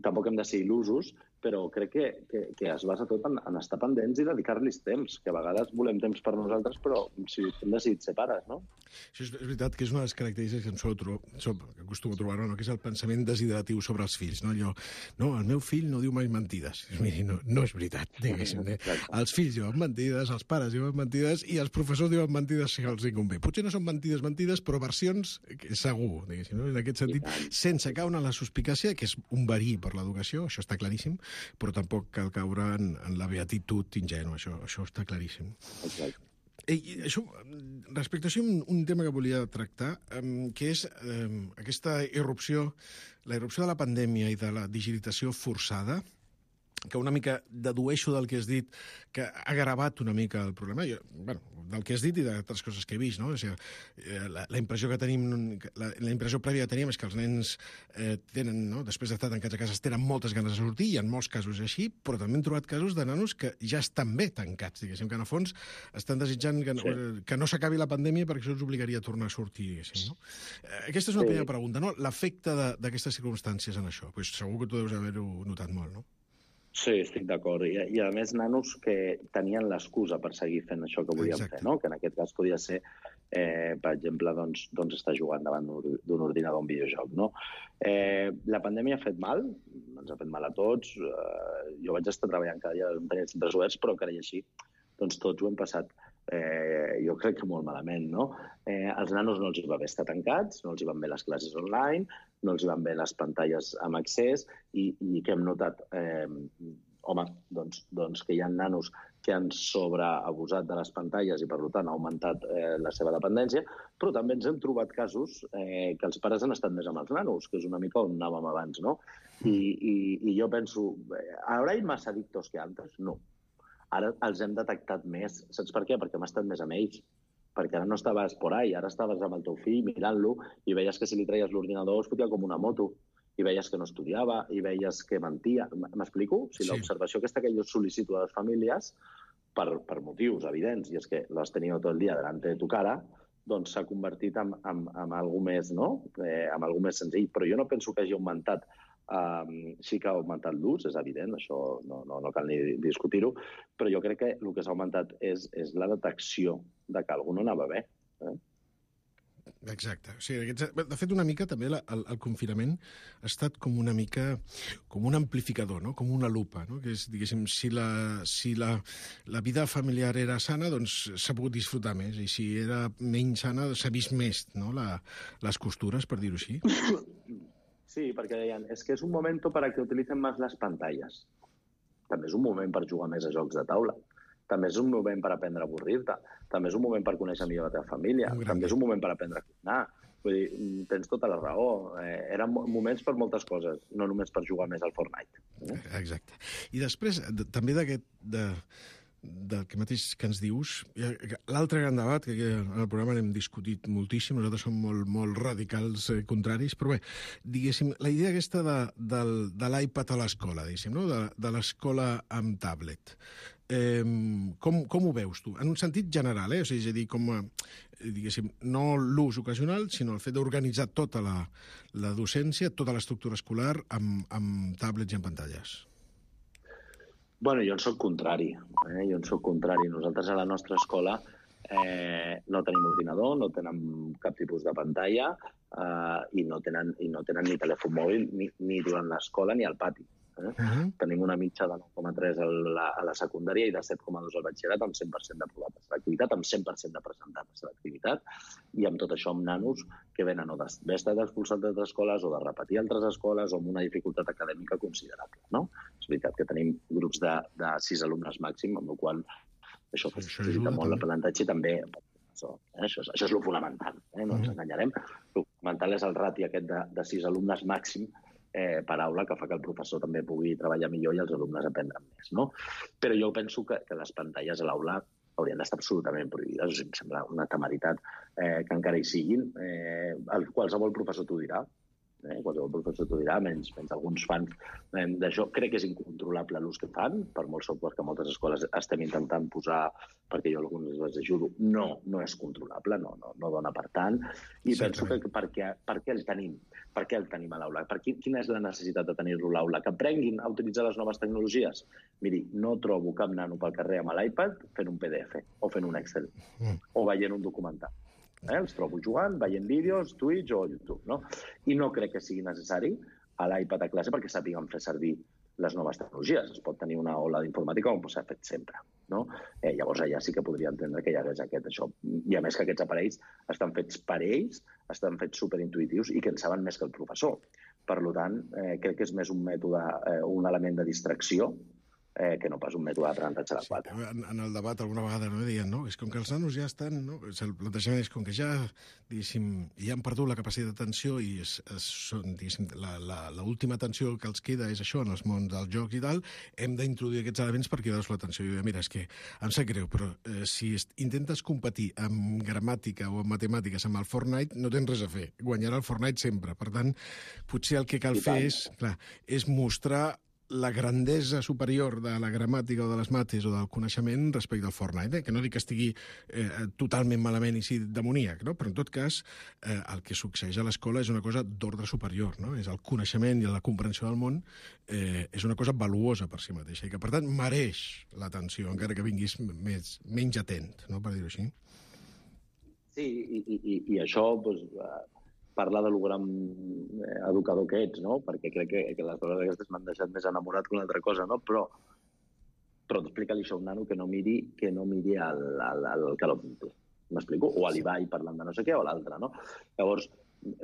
tampoc hem de ser il·lusos, però crec que es basa tot en estar pendents i dedicar-los temps, que a vegades volem temps per nosaltres, però si hem decidit ser pares, no? Això és veritat que és una de les característiques que acostumo a trobar, no? Que és el pensament deshidratiu sobre els fills. No? El meu fill no diu mai mentides. Miri, no és veritat, diguéssim. Els fills diuen mentides, els pares diuen mentides i els professors diuen mentides si els convé. Potser no són mentides, però versions segur, diguéssim. No? En aquest sentit, sense caure en la suspicàcia, que és un verí per l'educació, això està claríssim, però tampoc cal caure en la beatitud ingènua, això està claríssim. Exacte. Respecte a això, un tema que volia tractar, que és aquesta irrupció de la pandèmia i de la digitalització forçada, que una mica dedueixo del que has dit, que ha agravat una mica el problema. Del que has dit i d'altres coses que he vist, no? O sigui, la impressió que tenim, la impressió prèvia que teníem és que els nens tenen, no? Després d'estar tancats a casa, tenen moltes ganes de sortir, i en molts casos és així, però també hem trobat casos de nanos que ja estan bé tancats, diguéssim, que en el fons estan desitjant que no s'acabi la pandèmia perquè això els obligaria a tornar a sortir, diguéssim, no? Aquesta és una primera pregunta, no? L'efecte d'aquestes circumstàncies en això. Pues segur que tu deus haver-ho notat molt, no? Sí, estic d'acord. I a més, nanos que tenien l'excusa per seguir fent això que volien fer, no? Que en aquest cas podia ser, per exemple, doncs estar jugant davant d'un ordinador a un videojoc, no? La pandèmia ha fet mal, ens ha fet mal a tots. Jo vaig estar treballant cada dia en tenia centres oberts, però encara i així, doncs tots ho hem passat, jo crec que molt malament, no? Els nanos no els hi va bé estar tancats, no els hi van bé les classes online, no els hi van bé les pantalles amb accés, i que hem notat, doncs que hi ha nanos que han sobreabusat de les pantalles i, per tant, ha augmentat la seva dependència, però també ens hem trobat casos que els pares han estat més amb els nanos, que és una mica on anàvem abans, no? I jo penso, ¿habrá más adictos que antes? No. Ara els hem detectat més. Saps per què? Perquè hem estat més amb ells. Perquè ara no estaves por ahí, ara estaves amb el teu fill mirant-lo i veies que si li traies l'ordinador es fotia com una moto, i veies que no estudiava, i veies que mentia. M'explico? O sigui, l'observació aquesta que jo sol·licito a les famílies per motius evidents, i és que l'has tenido tot el dia delante de tu cara, doncs s'ha convertit en alguna més, no? En alguna més senzill. Però jo no penso que hagi augmentat. Sí que ha augmentat l'ús, és evident, això no cal ni discutir-ho, però jo crec que el que s'ha augmentat és la detecció de que algú no anava bé. Exacte. O sigui, de fet, una mica també el confinament ha estat com una mica com un amplificador, no? Com una lupa, no? Que és, diguéssim, si la vida familiar era sana, doncs s'ha pogut disfrutar més, i si era menys sana s'ha vist més, no? Les costures, per dir-ho així. Sí, perquè deien, és que és un moment per a que utilicen més les pantalles. També és un moment per jugar més a jocs de taula. també és un moment per aprendre a avorrir-te, també és un moment per conèixer millor la teva família, també és un moment per aprendre a cuinar. Vull dir, tens tota la raó. Eren moments per moltes coses, no només per jugar més al Fortnite. Exacte. I després, també del que mateix que ens dius, l'altre gran debat, que en el programa n'hem discutit moltíssim, nosaltres som molt radicals contraris, però bé, diguéssim, la idea aquesta de l'iPad a l'escola, diguéssim, no? De l'escola amb tablet. Com ho veus tu? En un sentit general, o sigui, és a dir, com diguéssim, no l'ús ocasional, sinó el fet d'organitzar tota la docència, tota l'estructura escolar amb tablets i amb pantalles. Bueno, jo en soc contrari. Nosaltres a la nostra escola no tenim ordinador, no tenen cap tipus de pantalla i no tenen ni telèfon mòbil ni durant l'escola ni al pati. Tenim una mitja de 9,3 a la secundària i de 7,2 al batxillerat amb 100% d'aprovat a l'activitat, amb 100% de presentat a l'activitat i amb tot això amb nanos que venen o d'haver estat expulsats d'altres escoles o de repetir altres escoles o amb una dificultat acadèmica considerable. No? És veritat que tenim grups de 6 alumnes màxim, amb la qual això facilita molt l'aprenentatge i també això és el fonamental, no ens enganyarem. El fonamental és el rati aquest de 6 alumnes màxim per aula, que fa que el professor també pugui treballar millor i els alumnes aprendran més. No? Però jo penso que les pantalles a l'aula haurien d'estar absolutament prohibides. O sigui, em sembla una temeritat que encara hi siguin. Qualsevol professor t'ho dirà. Qualsevol professor t'ho dirà, menys alguns fans d'això. Crec que és incontrolable l'ús que fan, per molt software que moltes escoles estem intentant posar, perquè jo alguns les ajudo. No és controlable, no dona per tant. I penso que per què el tenim? Per què el tenim a l'aula? Quina és la necessitat de tenir-lo a l'aula? Que aprenguin a utilitzar les noves tecnologies? Miri, no trobo cap nano pel carrer amb l'iPad fent un PDF o fent un Excel o veient un documental. Els trobo jugant, veient vídeos, Twitch o YouTube, no? I no crec que sigui necessari a l'iPad a classe perquè sàpiguen fer servir les noves tecnologies. Es pot tenir una aula d'informàtica com s'ha fet sempre, no? Llavors allà sí que podria entendre que hi hagués això. I a més que aquests aparells estan fets per ells, estan fets superintuitius i que en saben més que el professor. Per tant, crec que és més un mètode, un element de distracció que no pas un mètode d'aprenentatge adequat. En el debat alguna vegada deien, no? És com que els nanos ja estan, no? El plantejament és com que ja, diguéssim, ja han perdut la capacitat d'atenció i diguéssim, l'última atenció que els queda és això, en els mons del joc i tal, hem d'introduir aquests elements per cridar-los l'atenció. I mira, és que em sap greu, però si intentes competir amb gramàtica o amb matemàtiques amb el Fortnite, no tens res a fer. Guanyarà el Fortnite sempre. Per tant, potser el que cal fer és mostrar la grandesa superior de la gramàtica o de les mates o del coneixement respecte al Fortnite, que no dic que estigui totalment malament i sí demoníac, no? Però en tot cas el que succeeix a l'escola és una cosa d'ordre superior, no? És el coneixement i la comprensió del món és una cosa valuosa per si mateixa i que per tant mereix l'atenció, encara que vinguis menys atent, no? Per dir-ho així. Sí, i això parla de lo gran educador que ets, no? Perquè crec que les coses aquestes m'han deixat més enamorat que una altra cosa, no? Però explica-li això a un nano que no miri el Call of Duty. M'explico? O a l'Ibai parlant de no sé què o a l'altre, no? Llavors,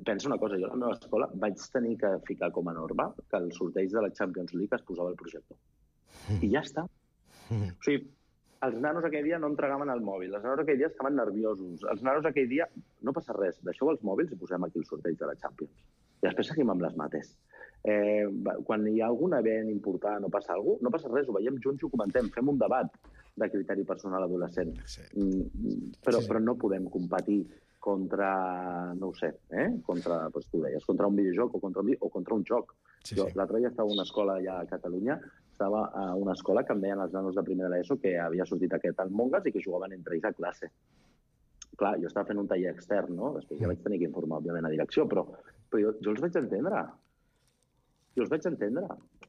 pensa una cosa, jo a la meva escola vaig tenir que ficar com a norma que el sorteig de la Champions League es posava al projector. I ja està. O sigui, els nanos aquell dia no entregaven el mòbil, els nanos aquell dia estaven nerviosos, els nanos aquell dia... No passa res, deixeu els mòbils i posem aquí el sorteig de la Champions. I després seguim amb les mates. Quan hi ha algun event important o passa alguna cosa, no passa res, ho veiem junts i ho comentem, fem un debat de criteri personal adolescent. Però no podem competir contra, no ho sé, contra, tu deies, contra un videojoc o contra un joc. L'altre dia estava a una escola allà a Catalunya, estava a una escola que em deien els nanos de primer de l'ESO que havia sortit aquest Among Us i que jugaven entre ells a classe. Clar, jo estava fent un taller extern, no? Després ja vaig tenir que informar, òbviament, a direcció, però jo els vaig entendre.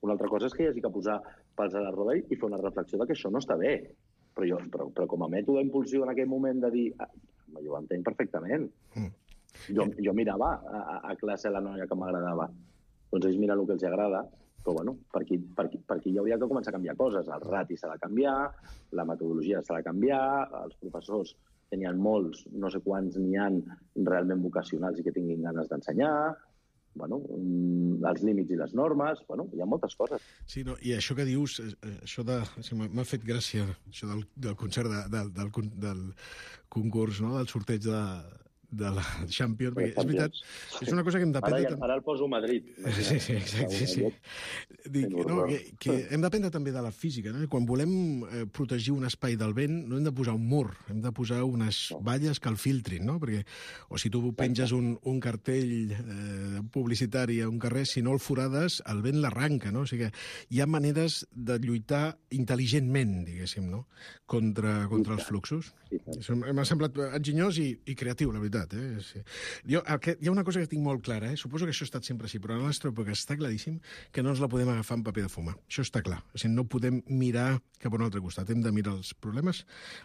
Una altra cosa és que hi hagi que posar pals a la roda i fer una reflexió de que això no està bé. Però com a mètode impulsiu en aquell moment de dir... Jo ho entenc perfectament. Jo mirava a classe la noia que m'agradava. Doncs ells miren el que els agrada, però bueno, per aquí hi hauria que començar a canviar coses. El rati s'ha de canviar, la metodologia s'ha de canviar, els professors que n'hi ha molts, no sé quants n'hi ha realment vocacionals i que tinguin ganes d'ensenyar. els límits i les normes, hi ha moltes coses. Sí, i això que dius, m'ha fet gràcia, això del concert, del concurs, del sorteig de la Champions, perquè és veritat, és una cosa que hem d'aprendre... Ara el poso a Madrid. Sí, exacte. Dic, que hem d'aprendre també de la física, no? Quan volem protegir un espai del vent, no hem de posar un mur, hem de posar unes valles que el filtrin, no? Perquè, o si tu penges un cartell publicitari a un carrer, si no el forades, el vent l'arranca, no? O sigui que hi ha maneres de lluitar intel·ligentment, diguéssim, no? Contra els fluxos. M'ha semblat enginyós i creatiu, la veritat. Sí. Hi ha una cosa que tinc molt clara, suposo que això ha estat sempre així, però a la nostra època està claríssim que no ens la podem agafar en paper de fumar. Això està clar. O sigui, no podem mirar cap a un altre costat. Hem de mirar els problemes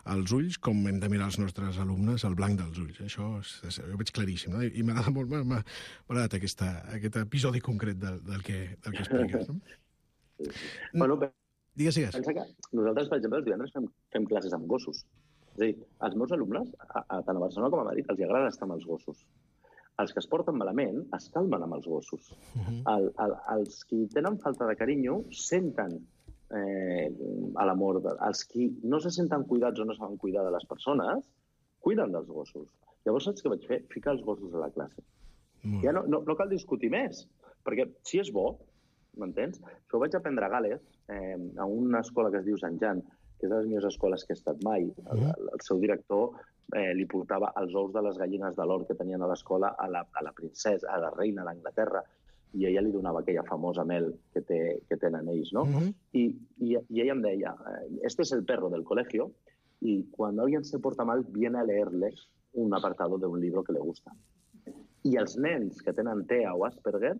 als ulls com hem de mirar els nostres alumnes al blanc dels ulls. Això ho veig claríssim, no? I m'agrada molt, m'ha agradat aquest episodi concret del que expliques. No? Digues. Pensa que nosaltres, per exemple, els divendres fem classes amb gossos. És a dir, als meus alumnes, tant a Barcelona com a Madrid, els agrada estar amb els gossos. Els que es porten malament es calmen amb els gossos. Els que tenen falta de carinyo senten l'amor. Els que no se senten cuidats o no saben cuidar de les persones, cuiden dels gossos. Llavors, saps què vaig fer? Ficar els gossos a la classe. Ja no cal discutir més, perquè si és bo, m'entens? Això ho vaig aprendre a Gales, a una escola que es diu Sant Jan, que és de les millors escoles que he estat mai. El seu director li portava els ous de les gallines de l'or que tenien a l'escola a la princesa, a la reina d'Anglaterra, i ella li donava aquella famosa mel que tenen ells, no? I ella em deia, este es el perro del colegio, y cuando alguien se porta mal, viene a leerle un apartado de un libro que le gusta. I els nens que tenen TEA o Asperger,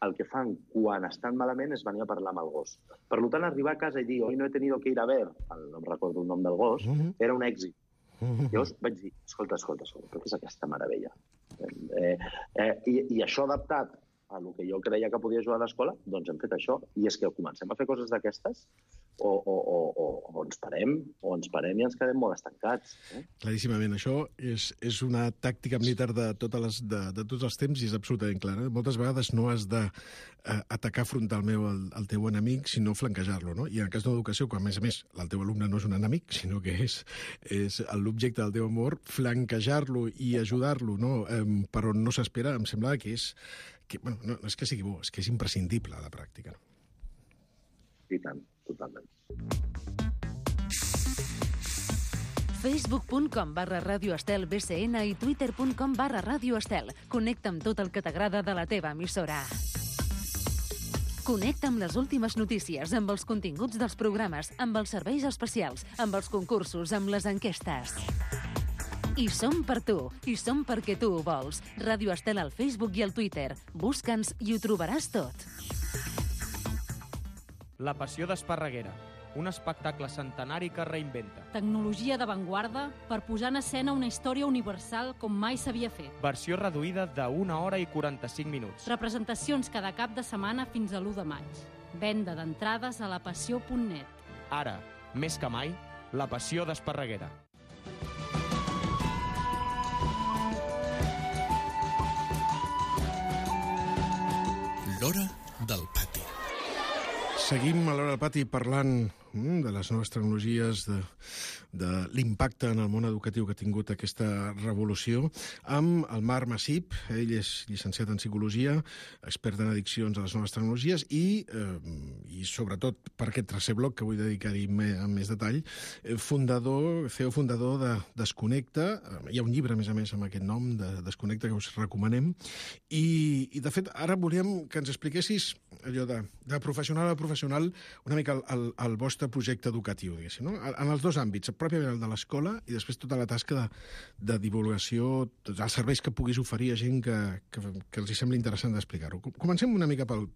el que fan quan estan malament és venir a parlar amb el gos. Per tant, arribar a casa i dir hoy no he tenido que ir a ver, no em recordo el nom del gos, era un èxit. Llavors vaig dir, escolta, però què és aquesta meravella? I això adaptat a el que jo creia que podia ajudar a l'escola, doncs hem fet això. I és que comencem a fer coses d'aquestes o ens parem i ens quedem molt estancats. Claríssimament. Això és una tàctica militar de tots els temps i és absolutament clara. Moltes vegades no has d'atacar frontalment el teu enemic, sinó flanquejar-lo, no? I en el cas d'una educació, quan a més el teu alumne no és un enemic, sinó que és l'objecte del teu amor, flanquejar-lo i ajudar-lo, no? Per on no s'espera, em sembla que és... Bueno, no és que sigui bo, és que és imprescindible a la pràctica. I tant, totalment. Facebook.com/Ràdio Estel BCN i Twitter.com/Ràdio Estel. Connecta amb tot el que t'agrada de la teva emissora. Connecta amb les últimes notícies, amb els continguts dels programes, amb els serveis especials, amb els concursos, amb les enquestes. I som per tu, i som perquè tu ho vols. Ràdio Estel al Facebook i al Twitter. Busca'ns i ho trobaràs tot. La passió d'Esparreguera, un espectacle centenari que reinventa. Tecnologia d'avantguarda per posar en escena una història universal com mai s'havia fet. Versió reduïda de 1 hora i 45 minuts. Representacions cada cap de setmana fins a l'1 de maig. Venda d'entrades a lapassió.net. Ara, més que mai, la passió d'Esparreguera. L'Hora del Pati. Seguim a l'Hora del Pati parlant de les noves tecnologies, de l'impacte en el món educatiu que ha tingut aquesta revolució, amb el Marc Massip. Ell és llicenciat en Psicologia, expert en addiccions a les noves tecnologies i sobretot, per aquest tercer bloc, que vull dedicar-hi amb més detall, CEO fundador de Desconnecta. Hi ha un llibre, a més, amb aquest nom, de Desconnecta, que us recomanem. I de fet, ara volíem que ens expliquessis allò de professional a professional, una mica el vostre projecte educatiu, diguéssim, no? En els dos àmbits, pròpiament el de l'escola i després tota la tasca de divulgació, tots els serveis que puguis oferir a gent que els sembli interessant d'explicar-ho. Comencem una mica pel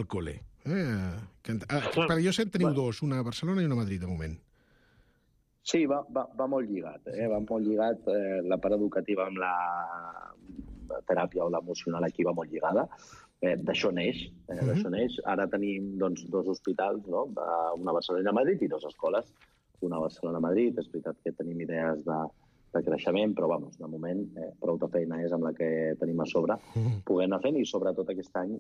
col·le. Per jo sé, teniu dos, una a Barcelona i una a Madrid, de moment. Sí, va molt lligat. Va molt lligat. La part educativa amb la teràpia o l'emocional aquí va molt lligada. D'això neix. Ara tenim dos hospitals, no? Una a Barcelona i a Madrid i 2 escoles. Una a Barcelona i Madrid. És veritat que tenim idees de creixement, però, vamos, de moment, prou de feina és amb la que tenim a sobre, poder anar fent, i sobretot aquest any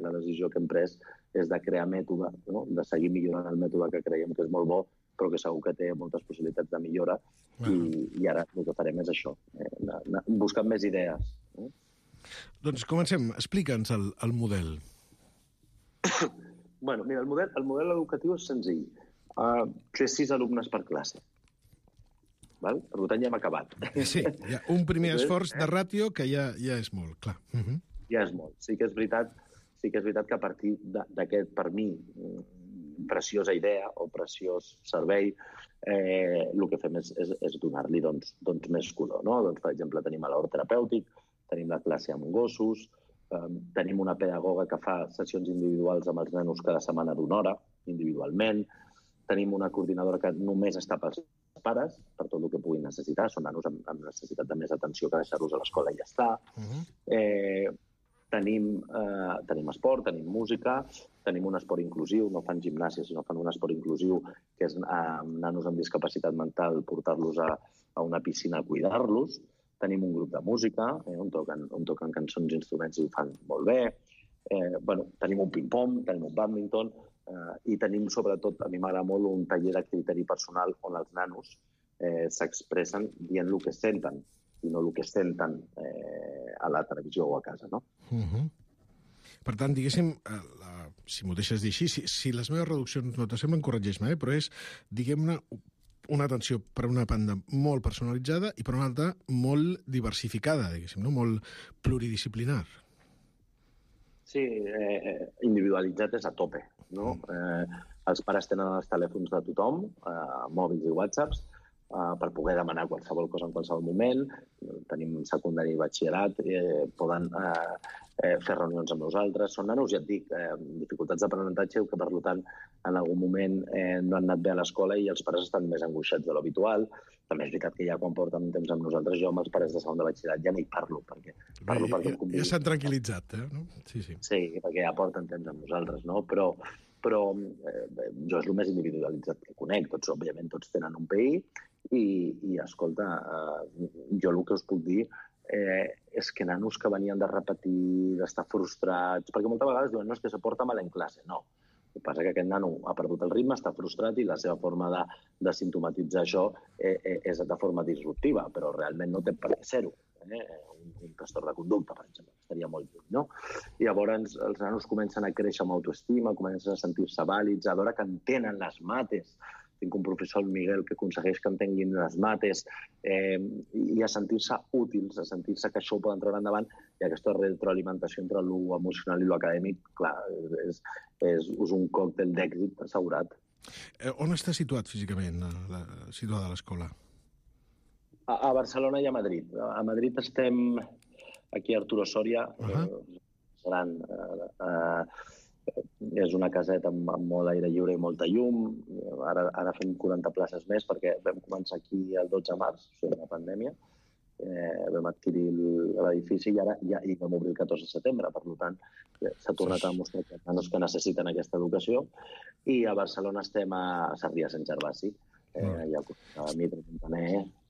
la decisió que hem pres és de crear mètode, no? De seguir millorant el mètode que creiem que és molt bo, però que segur que té moltes possibilitats de millora, i ara el que farem és això, buscar més idees. Doncs comencem. Explica'ns el model. Bueno, mira, el model educatiu és senzill. Fer 6 alumnes per classe. Val? Per tant, ja hem acabat. Sí, hi ha un primer esforç de ràtio que ja és molt, clar. Ja és molt. Sí que és veritat que a partir d'aquest, per mi, preciosa idea o preciós servei, el que fem és donar-li més color. Doncs, per exemple, tenim l'hort terapèutic, tenim la classe amb gossos, tenim una pedagoga que fa sessions individuals amb els nanos cada setmana d'1 hora, individualment. Tenim una coordinadora que només està pels pares, per tot el que puguin necessitar. Són nanos amb necessitat de més atenció que deixar-los a l'escola i ja està. Tenim esport, tenim música, tenim un esport inclusiu, no fan gimnàsia, sinó fan un esport inclusiu, que és amb nanos amb discapacitat mental, portar-los a una piscina a cuidar-los. Tenim un grup de música, on toquen cançons i instruments i ho fan molt bé. Tenim un ping-pong, tenim un bàdminton, i tenim, sobretot, a mi m'agrada molt, un taller de criteri personal on els nanos s'expressen dient el que senten i no el que senten a la televisió o a casa, no? Per tant, diguéssim, si m'ho deixes dir així, si les meves reduccions no t'assemblen, corregeix-me, però és, diguem-ne, una atenció per una banda molt personalitzada i per una altra molt diversificada, diguéssim, no? Molt pluridisciplinar. Sí, individualitzat és a tope, no? Els pares tenen els telèfons de tothom, mòbils i whatsapps, per poder demanar qualsevol cosa en qualsevol moment. Tenim secundari i batxillerat, poden fer reunions amb nosaltres. Són nanos, ja et dic, dificultats d'aprenentatge que, per tant, en algun moment no han anat bé a l'escola i els pares estan més angoixats de l'habitual. També és veritat que ja quan porten temps amb nosaltres, jo amb els pares de segon de batxillerat ja no hi parlo, perquè ja s'han tranquil·litzat, no? Sí, perquè ja porten temps amb nosaltres, no? Però jo és el més individualitzat que conec. Òbviament, tots tenen un PI i escolta, jo el que us puc dir és que nanos que venien de repetir, d'estar frustrats, perquè moltes vegades diuen, no, és que se porta mal en classe. No. El que passa és que aquest nano ha perdut el ritme, està frustrat i la seva forma de simptomatitzar això és de forma disruptiva, però realment no té per què ser-ho. Un trastorn de conducta, per exemple, estaria molt lluny, no? I llavors els nanos comencen a créixer amb autoestima, comencen a sentir-se vàlids, a veure que entenen les mates. Tinc un professor, el Miguel, que aconsegueix que entenguin les mates i a sentir-se útils, a sentir-se que això ho poden treure endavant, i aquesta retroalimentació entre l'emocional i l'acadèmic, clar, és un còctel d'èxit assegurat. On està situat físicament, situada l'escola? A Barcelona i a Madrid. A Madrid estem aquí a Arturo Soria, gran. És una caseta amb molt aire lliure i molta llum. Ara fem 40 places més perquè vam començar aquí el 12 de març, o sigui, la pandèmia. Vam adquirir l'edifici i ara ja vam obrir el 14 de setembre. Per tant, s'ha tornat a mostrar que els nanos que necessiten aquesta educació. I a Barcelona estem a Sarrià Sant Gervasi.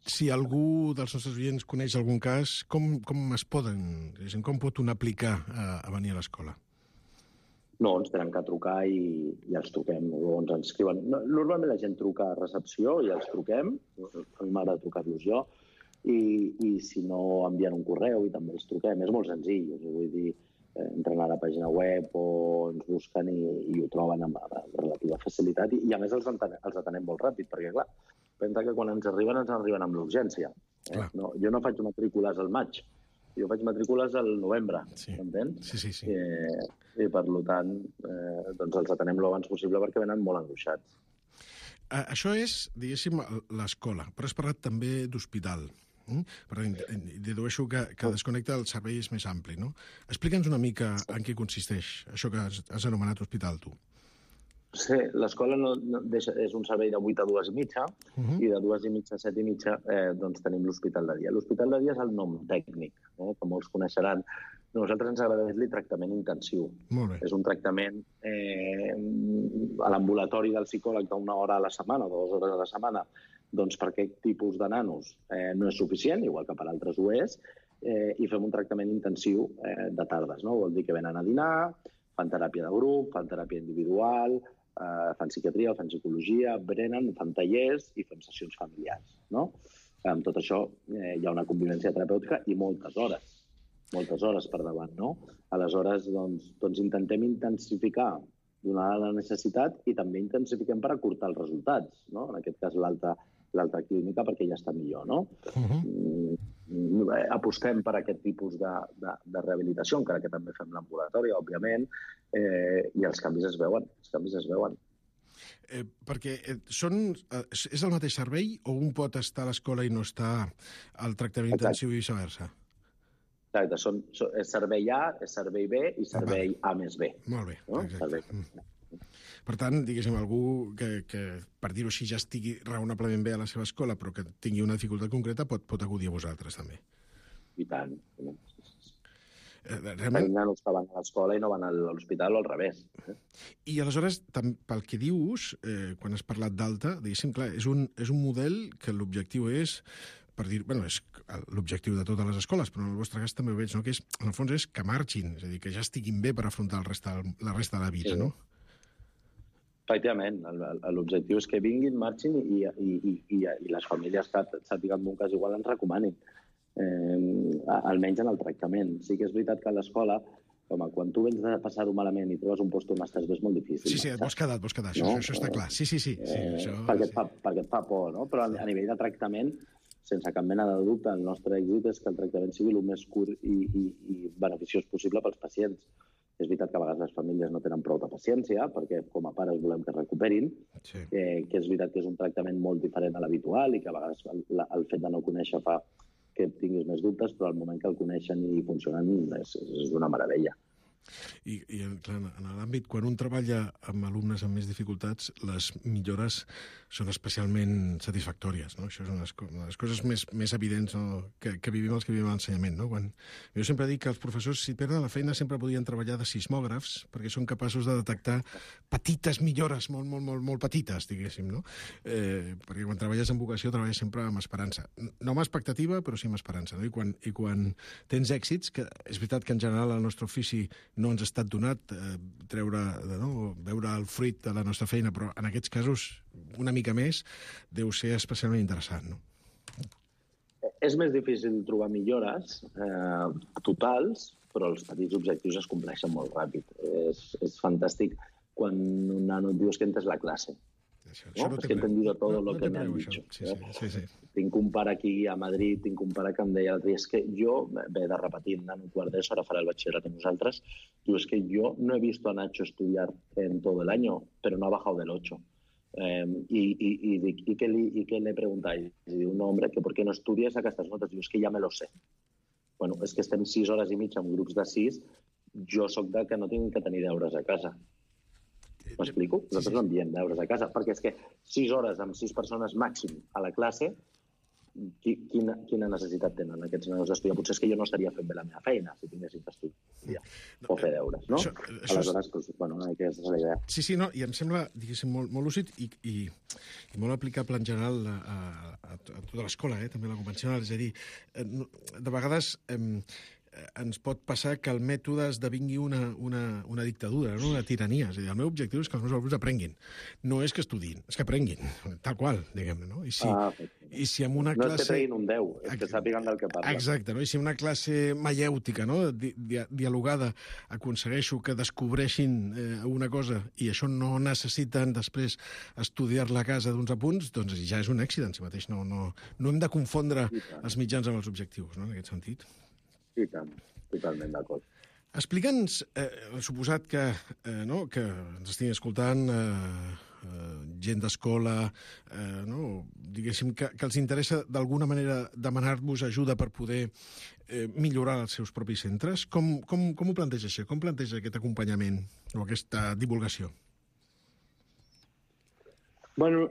Si algú dels nostres oients coneix algun cas, com pot un aplicar a venir a l'escola? No, ens tenen que trucar i els truquem, o ens escriuen. Normalment la gent truca a recepció i els truquem, a mi m'agrada trucar-los jo, i si no envien un correu i també els truquem. És molt senzill, vull dir, entren a la pàgina web o ens busquen i ho troben amb relativa facilitat i a més els atenem molt ràpid, perquè clar, pensa que quan ens arriben amb l'urgència. Jo no faig matrícules al maig, jo faig matrícules al novembre, m'entens? Sí. I per tant, els atenem l'abans possible perquè venen molt angoixats. Això és, diguéssim, l'escola, però has parlat també d'hospital. Però dedueixo que desconnecta el servei és més ampli, no? Explica'ns una mica en què consisteix això que has anomenat hospital, tu. Sí, l'escola és un servei de 8 a 2:30 i de 2:30 a 7:30 tenim l'hospital de dia. L'hospital de dia és el nom tècnic, que molts coneixeran Nosaltres ens agrada dir-li tractament intensiu. Molt bé. És un tractament a l'ambulatori del psicòleg d'una hora a la setmana o 2 hores a la setmana, doncs per aquest tipus de nanos no és suficient, igual que per altres ho és, i fem un tractament intensiu de tardes. No? Vol dir que venen a dinar, fan teràpia de grup, fan teràpia individual, fan psiquiatria, fan psicologia, berenen, fan tallers i fem sessions familiars. No? Amb tot això hi ha una convivència terapèutica i moltes hores per davant. No? Aleshores, doncs intentem intensificar donada la necessitat i també intensifiquem per acurtar els resultats. No? En aquest cas, l'alta clínica perquè ja està millor. No? Apostem per aquest tipus de rehabilitació, encara que també fem l'ambulatori, òbviament, i els canvis es veuen. Perquè és el mateix servei o un pot estar a l'escola i no està al tractament intensiu i viceversa? Exacte, és servei A, és servei B i servei A més B. Molt bé, exacte. Per tant, diguéssim, algú que per dir-ho així, ja estigui raonablement bé a la seva escola, però que tingui una dificultat concreta, pot acudir a vosaltres, també. I tant. Realment... nanos que van a l'escola i no van a l'hospital o al revés. I aleshores, pel que dius, quan has parlat d'alta, diguéssim, clar, és un model que l'objectiu és, per dir, bueno, és l'objectiu de totes les escoles, però en el vostre cas també ho veig, no? Que és, en el fons és que marxin, és a dir, que ja estiguin bé per afrontar la resta de la vida, no? Efectivament, l'objectiu és que vinguin, marxin i les famílies que sàpiguen d'un cas igual ens recomanin, almenys en el tractament. Sí que és veritat que a l'escola, home, quan tu vens de passar-ho malament i trobes un lloc on estàs bé és molt difícil. Sí, et vols quedar, això està clar. Sí. Perquè et fa por, no? Però a nivell de tractament, sense cap mena de dubte, el nostre èxit és que el tractament sigui el més curt i beneficiós possible pels pacients. És veritat que a vegades les famílies no tenen prou de paciència, perquè com a pares volem que es recuperin, que és veritat que és un tractament molt diferent a l'habitual i que a vegades el fet de no conèixer fa que tinguis més dubtes, però al moment que el coneixen i funcionen és una meravella. I clar, en l'àmbit, quan un treballa amb alumnes amb més dificultats, les millores són especialment satisfactòries, no? Això és una de les coses més evidents, no? que vivim els que vivim a l'ensenyament, no? Jo sempre dic que els professors, si perden la feina, sempre podien treballar de sismògrafs, perquè són capaços de detectar petites millores, molt petites, diguéssim, no? Perquè quan treballes amb vocació, treballes sempre amb esperança. No amb expectativa, però sí amb esperança, no? I quan tens èxits, que és veritat que en general el nostre ofici no ens ha estat donat veure el fruit de la nostra feina, però en aquests casos una mica més deu ser especialment interessant, no? És més difícil trobar millores totals, però els petits objectius es compleixen molt ràpid. És fantàstic quan un nano et diu que entes la classe. ¿no? Es que he entendido todo lo que me han dicho. Sí. Tinc un pare aquí a Madrid, tinc un pare que em deia l'altre dia, és que jo, ve de repetir, en un quart d'ESO, ara farà el batxillerat amb nosaltres, diu, es que yo no he visto a Nacho estudiar en todo el año, pero no ha bajado del 8. ¿Y qué le preguntáis? Y diu, no, hombre, que ¿por qué no estudias aquestes notes? Diu, es que ja me lo sé. Bueno, és que estem 6 hores i mitja en grups de 6, jo sóc de que no tinc que tenir deures a casa. M'explico? Nosaltres no enviem deures a casa, perquè és que 6 hores amb 6 persones màxim a la classe, quina necessitat tenen aquests nanos d'estudiar? Potser és que jo no estaria fent bé la meva feina si tinguéssim d'estudiar o fer deures, no? Aleshores, aquesta és la idea. Sí, no, i em sembla, diguéssim, molt lúcid i molt aplicable en general a tota l'escola, també la convencional. És a dir, de vegades ens pot passar que el mètode esdevingui una dictadura, no? Una tirania. És a dir, el meu objectiu és que els meus alumnes aprenguin. No és que estudiïn, és que aprenguin, tal qual, diguem-ne, no? I si en una classe... No és que treguin un 10, és que sàpiguen del que parlen. Exacte, no? I si una classe maièutica, no? Dialogada, aconsegueixo que descobreixin una cosa i això no necessiten després estudiar-la a casa d'uns apunts, doncs ja és un èxit en si mateix. No hem de confondre els mitjans amb els objectius, no? En aquest sentit. I tant, totalment d'acord. Explica'ns, suposat que ens estiguin escoltant gent d'escola, diguéssim, que els interessa d'alguna manera demanar-vos ajuda per poder millorar els seus propis centres. Com ho planteja això? Com planteja aquest acompanyament o aquesta divulgació? Bueno,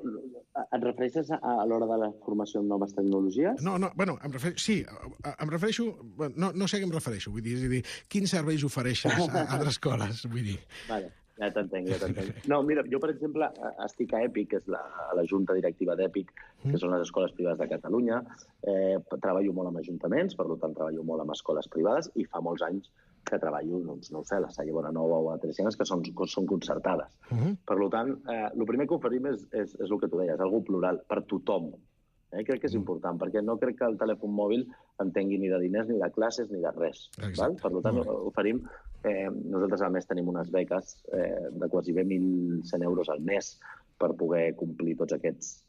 Et refereixes a l'hora de la formació en noves tecnologies? No, bueno, em refereixo... No sé a què em refereixo, vull dir, és a dir, quins serveis ofereixes a altres escoles, vull dir. Vale, ja t'entenc. No, mira, jo, per exemple, estic a EPIC, que és la junta directiva d'EPIC, que són les escoles privades de Catalunya. Treballo molt amb ajuntaments, per tant, treballo molt amb escoles privades, i fa molts anys que treballo, doncs, no ho sé, a la Salle Bonanova o a Teresianes, que són concertades. Per tant, el primer que oferim és el que tu deies, algo plural, per tothom. Crec que és important, perquè no crec que el telèfon mòbil entengui ni de diners, ni de classes, ni de res. Per tant, oferim... Nosaltres, a més, tenim unes beques de quasi bé 1.100 euros al mes per poder complir tots aquests...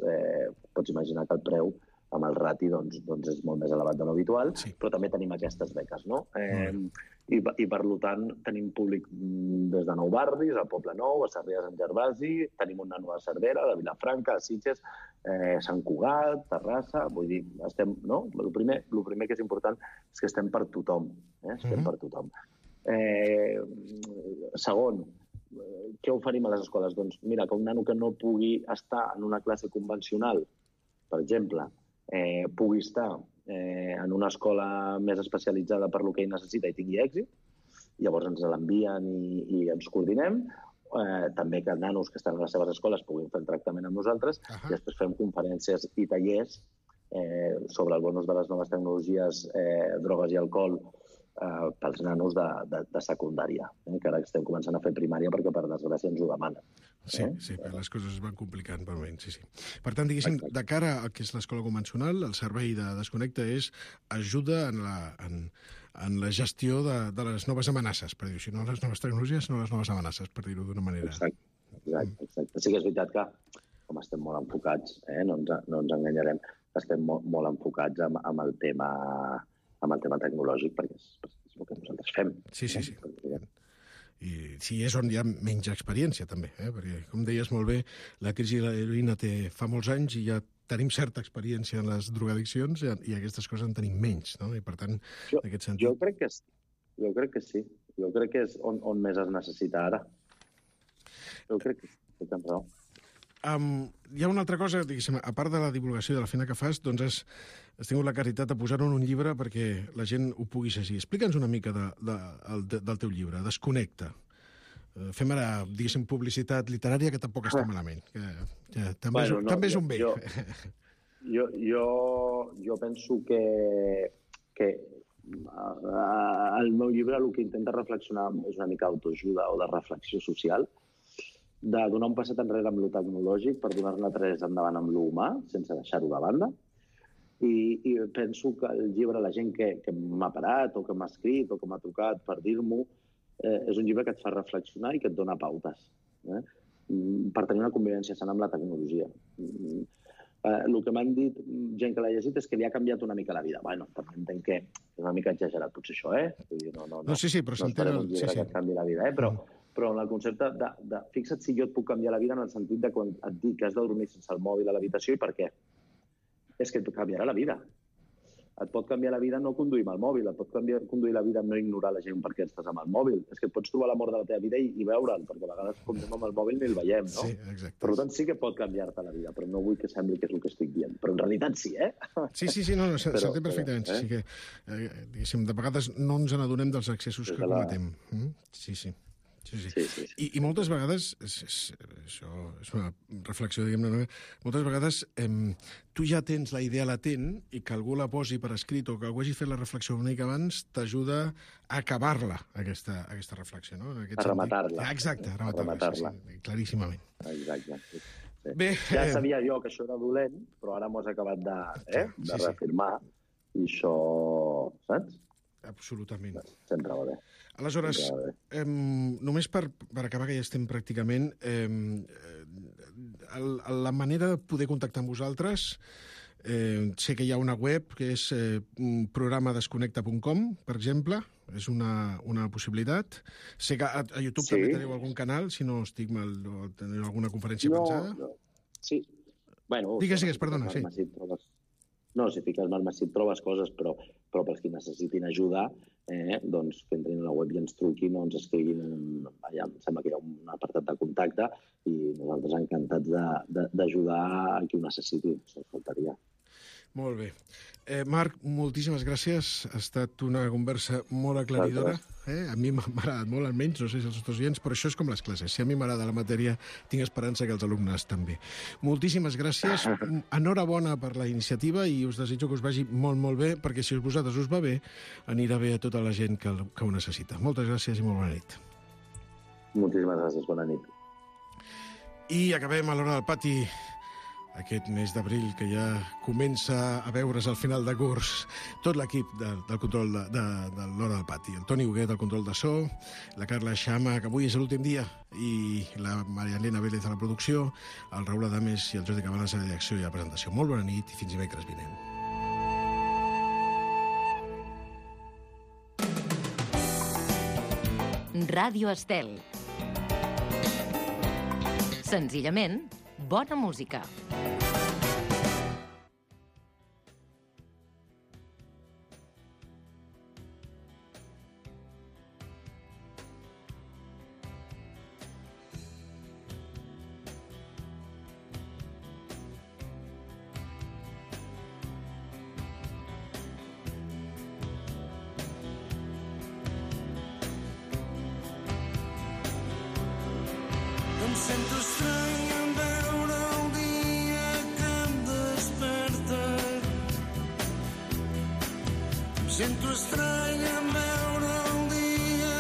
Pots imaginar que el preu amb el rati doncs és molt més elevat de l'habitual, però també tenim aquestes beques, no? I per tant tenim públic des de 9 barris, a Poble Nou, a Sarrià de Sant Gervasi, tenim un nano a Cervera, de Vilafranca, a Sitges, Sant Cugat, Terrassa, vull dir, estem, no? El primer que és important és que estem per tothom, estem per tothom. Segon, què oferim a les escoles? Doncs mira, que un nano que no pugui estar en una classe convencional, per exemple, pugui estar en una escola més especialitzada per lo que ell necessita i tingui èxit, llavors ens l'envien i ens coordinem. També que nanos que estan a les seves escoles puguin fer el tractament amb nosaltres i després fem conferències i tallers sobre el bonus de les noves tecnologies, drogues i alcohol pels nanos de secundària, que ara estem començant a fer primària perquè, per desgràcia, ens ho demanen. Sí, les coses es van complicant per moment, sí. Per tant, diguéssim, de cara al que és l'escola convencional, el servei de Desconnecta és ajuda en la gestió de les noves amenaces, per dir-ho, si no les noves tecnologies, no les noves amenaces, per dir-ho d'una manera. Exacte. Sí que és veritat que, com estem molt enfocats, no ens enganyarem, estem molt enfocats amb el tema tecnològic, perquè és el que nosaltres fem. Sí. I sí, és on hi ha menys experiència, també, perquè, com deies molt bé, la crisi de l'heroïna fa molts anys i ja tenim certa experiència en les drogadiccions i aquestes coses en tenim menys, no? I, per tant, en aquest sentit... Jo crec que sí. Jo crec que és on més es necessita ara. Jo crec que tens raó. Hi ha una altra cosa, diguéssim, a part de la divulgació de la feina que fas, doncs has tingut la caritat de posar-ho en un llibre perquè la gent ho pugui llegir. Explica'ns una mica del teu llibre, Desconnecta. Fem ara, diguéssim, publicitat literària, que tampoc està malament. També és un bé. Jo penso que el meu llibre el que intenta reflexionar és una mica d'autoajuda o de reflexió social, de donar un passet enrere amb lo tecnològic per donar-ne 3 endavant amb lo humà, sense deixar-ho de banda. I penso que el llibre, la gent que m'ha parat o que m'ha escrit o que m'ha trucat per dir-m'ho, és un llibre que et fa reflexionar i que et dona pautes per tenir una convivència sana amb la tecnologia. El que m'han dit gent que l'ha llegit és que li ha canviat una mica la vida. Bueno, també entenc que és una mica exagerat potser això, No, sí, però s'entén... No esperem un llibre que et canvi la vida, però en el concepte de fixa't si jo et puc canviar la vida en el sentit de quan et dic que has de dormir sense el mòbil a l'habitació i per què. És que et canviarà la vida. Et pot canviar la vida no conduir amb el mòbil, et pot conduir la vida no ignorar la gent perquè estàs amb el mòbil. És que et pots trobar l'amor de la teva vida i veure'l, perquè a vegades quan anem amb el mòbil ni el veiem, no? Sí, exacte. Per tant, sí que pot canviar-te la vida, però no vull que sembli que és el que estic dient. Però en realitat sí, Sí, s'entén perfectament. Sí que, diguéssim, de vegades no ens n'adonem dels excessos que cometem. Sí. I moltes vegades, això és una reflexió, diguem-ne, moltes vegades tu ja tens la idea latent i que algú la posi per escrit o que algú hagi fet la reflexió una mica abans t'ajuda a acabar-la, aquesta reflexió, no? A rematar-la. Exacte, a rematar-la, claríssimament. Exacte. Bé, ja sabia jo que això era dolent, però ara m'ho has acabat de reafirmar i això, saps? Absolutament. Sempre va bé. Aleshores, només per acabar, que ja estem pràcticament, la manera de poder contactar amb vosaltres, sé que hi ha una web que és programadesconnecta.com, per exemple, és una possibilitat. Sé que a YouTube també teniu algun canal, si no estic mal, o teniu alguna conferència pensada? Sí. Bueno, digues, perdona, sí. No, si fiques Malmesí trobes coses, però però pels que necessitin ajuda, doncs que entrin a la web i ens truquin o ens escriguin. Allà em sembla que hi ha un apartat de contacte i nosaltres encantats d'ajudar a qui ho necessiti, se'ls faltaria. Molt bé. Marc, moltíssimes gràcies. Ha estat una conversa molt aclaridora. A mi m'ha agradat molt, almenys, no sé si els nostres oients, però això és com les classes. Si a mi m'agrada la matèria, tinc esperança que els alumnes també. Moltíssimes gràcies. Enhorabona per la iniciativa i us desitjo que us vagi molt, molt bé, perquè si a vosaltres us va bé, anirà bé a tota la gent que ho necessita. Moltes gràcies i molt bona nit. Moltíssimes gràcies, bona nit. I acabem a l'Hora del Pati aquest mes d'abril, que ja comença a veure's al final de curs. Tot l'equip del control de l'Hora del Pati. El Toni Huguet, del control de so, la Carla Xama, que avui és l'últim dia, i la Maria Elena Vélez a la producció, el Raül Adames i el Jordi Cabanes a la direcció i a la presentació. Molt bona nit i fins dimecres vinent. Ràdio Estel. Senzillament, bona música. Em sento estrany en veure el dia que em desperta. Em sento estrany en veure el dia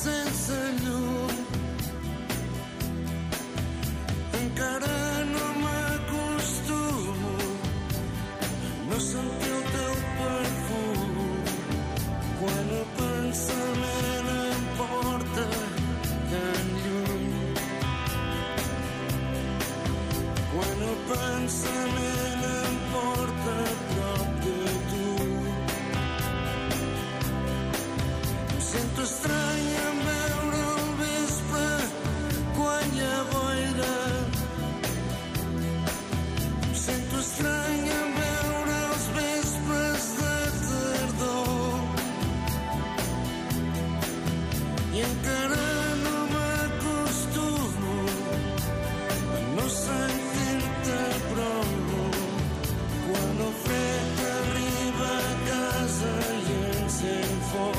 sense llum. Encara no m'acostumo a no sentir el teu perfum. Quan el pensament em porta tan lluny. Quan el pensament em porta a prop de tu. Em sento estrany en veure el vespre quan hi ha boira. Em sento estrany en veure els vespres de tardor. I encara no m'acostumo a no sentir-te prou. Quan el fred arriba a casa i encén foc.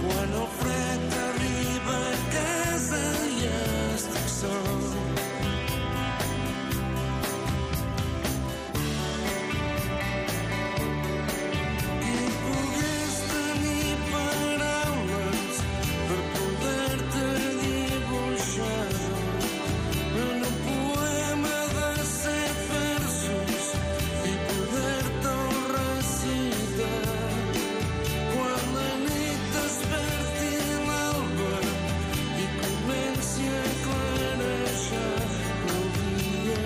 Quan el fred arriba a casa i estic sol. Qui pogués tenir paraules per poder-te dibuixar en un poema de 100 versos i poder-te'l recitar. Quan la nit desperti l'alba i comenci a clarejar el dia.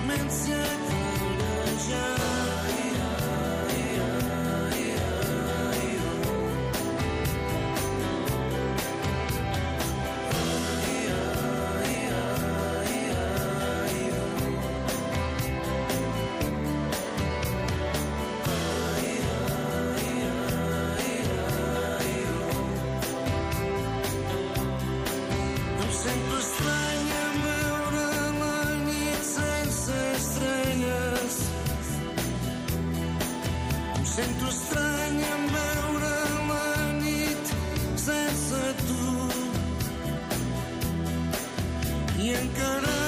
Comenci a clarejar. Em sento estrany en veure la nit sense estrelles. Em sento estrany en veure la nit sense tu. I encara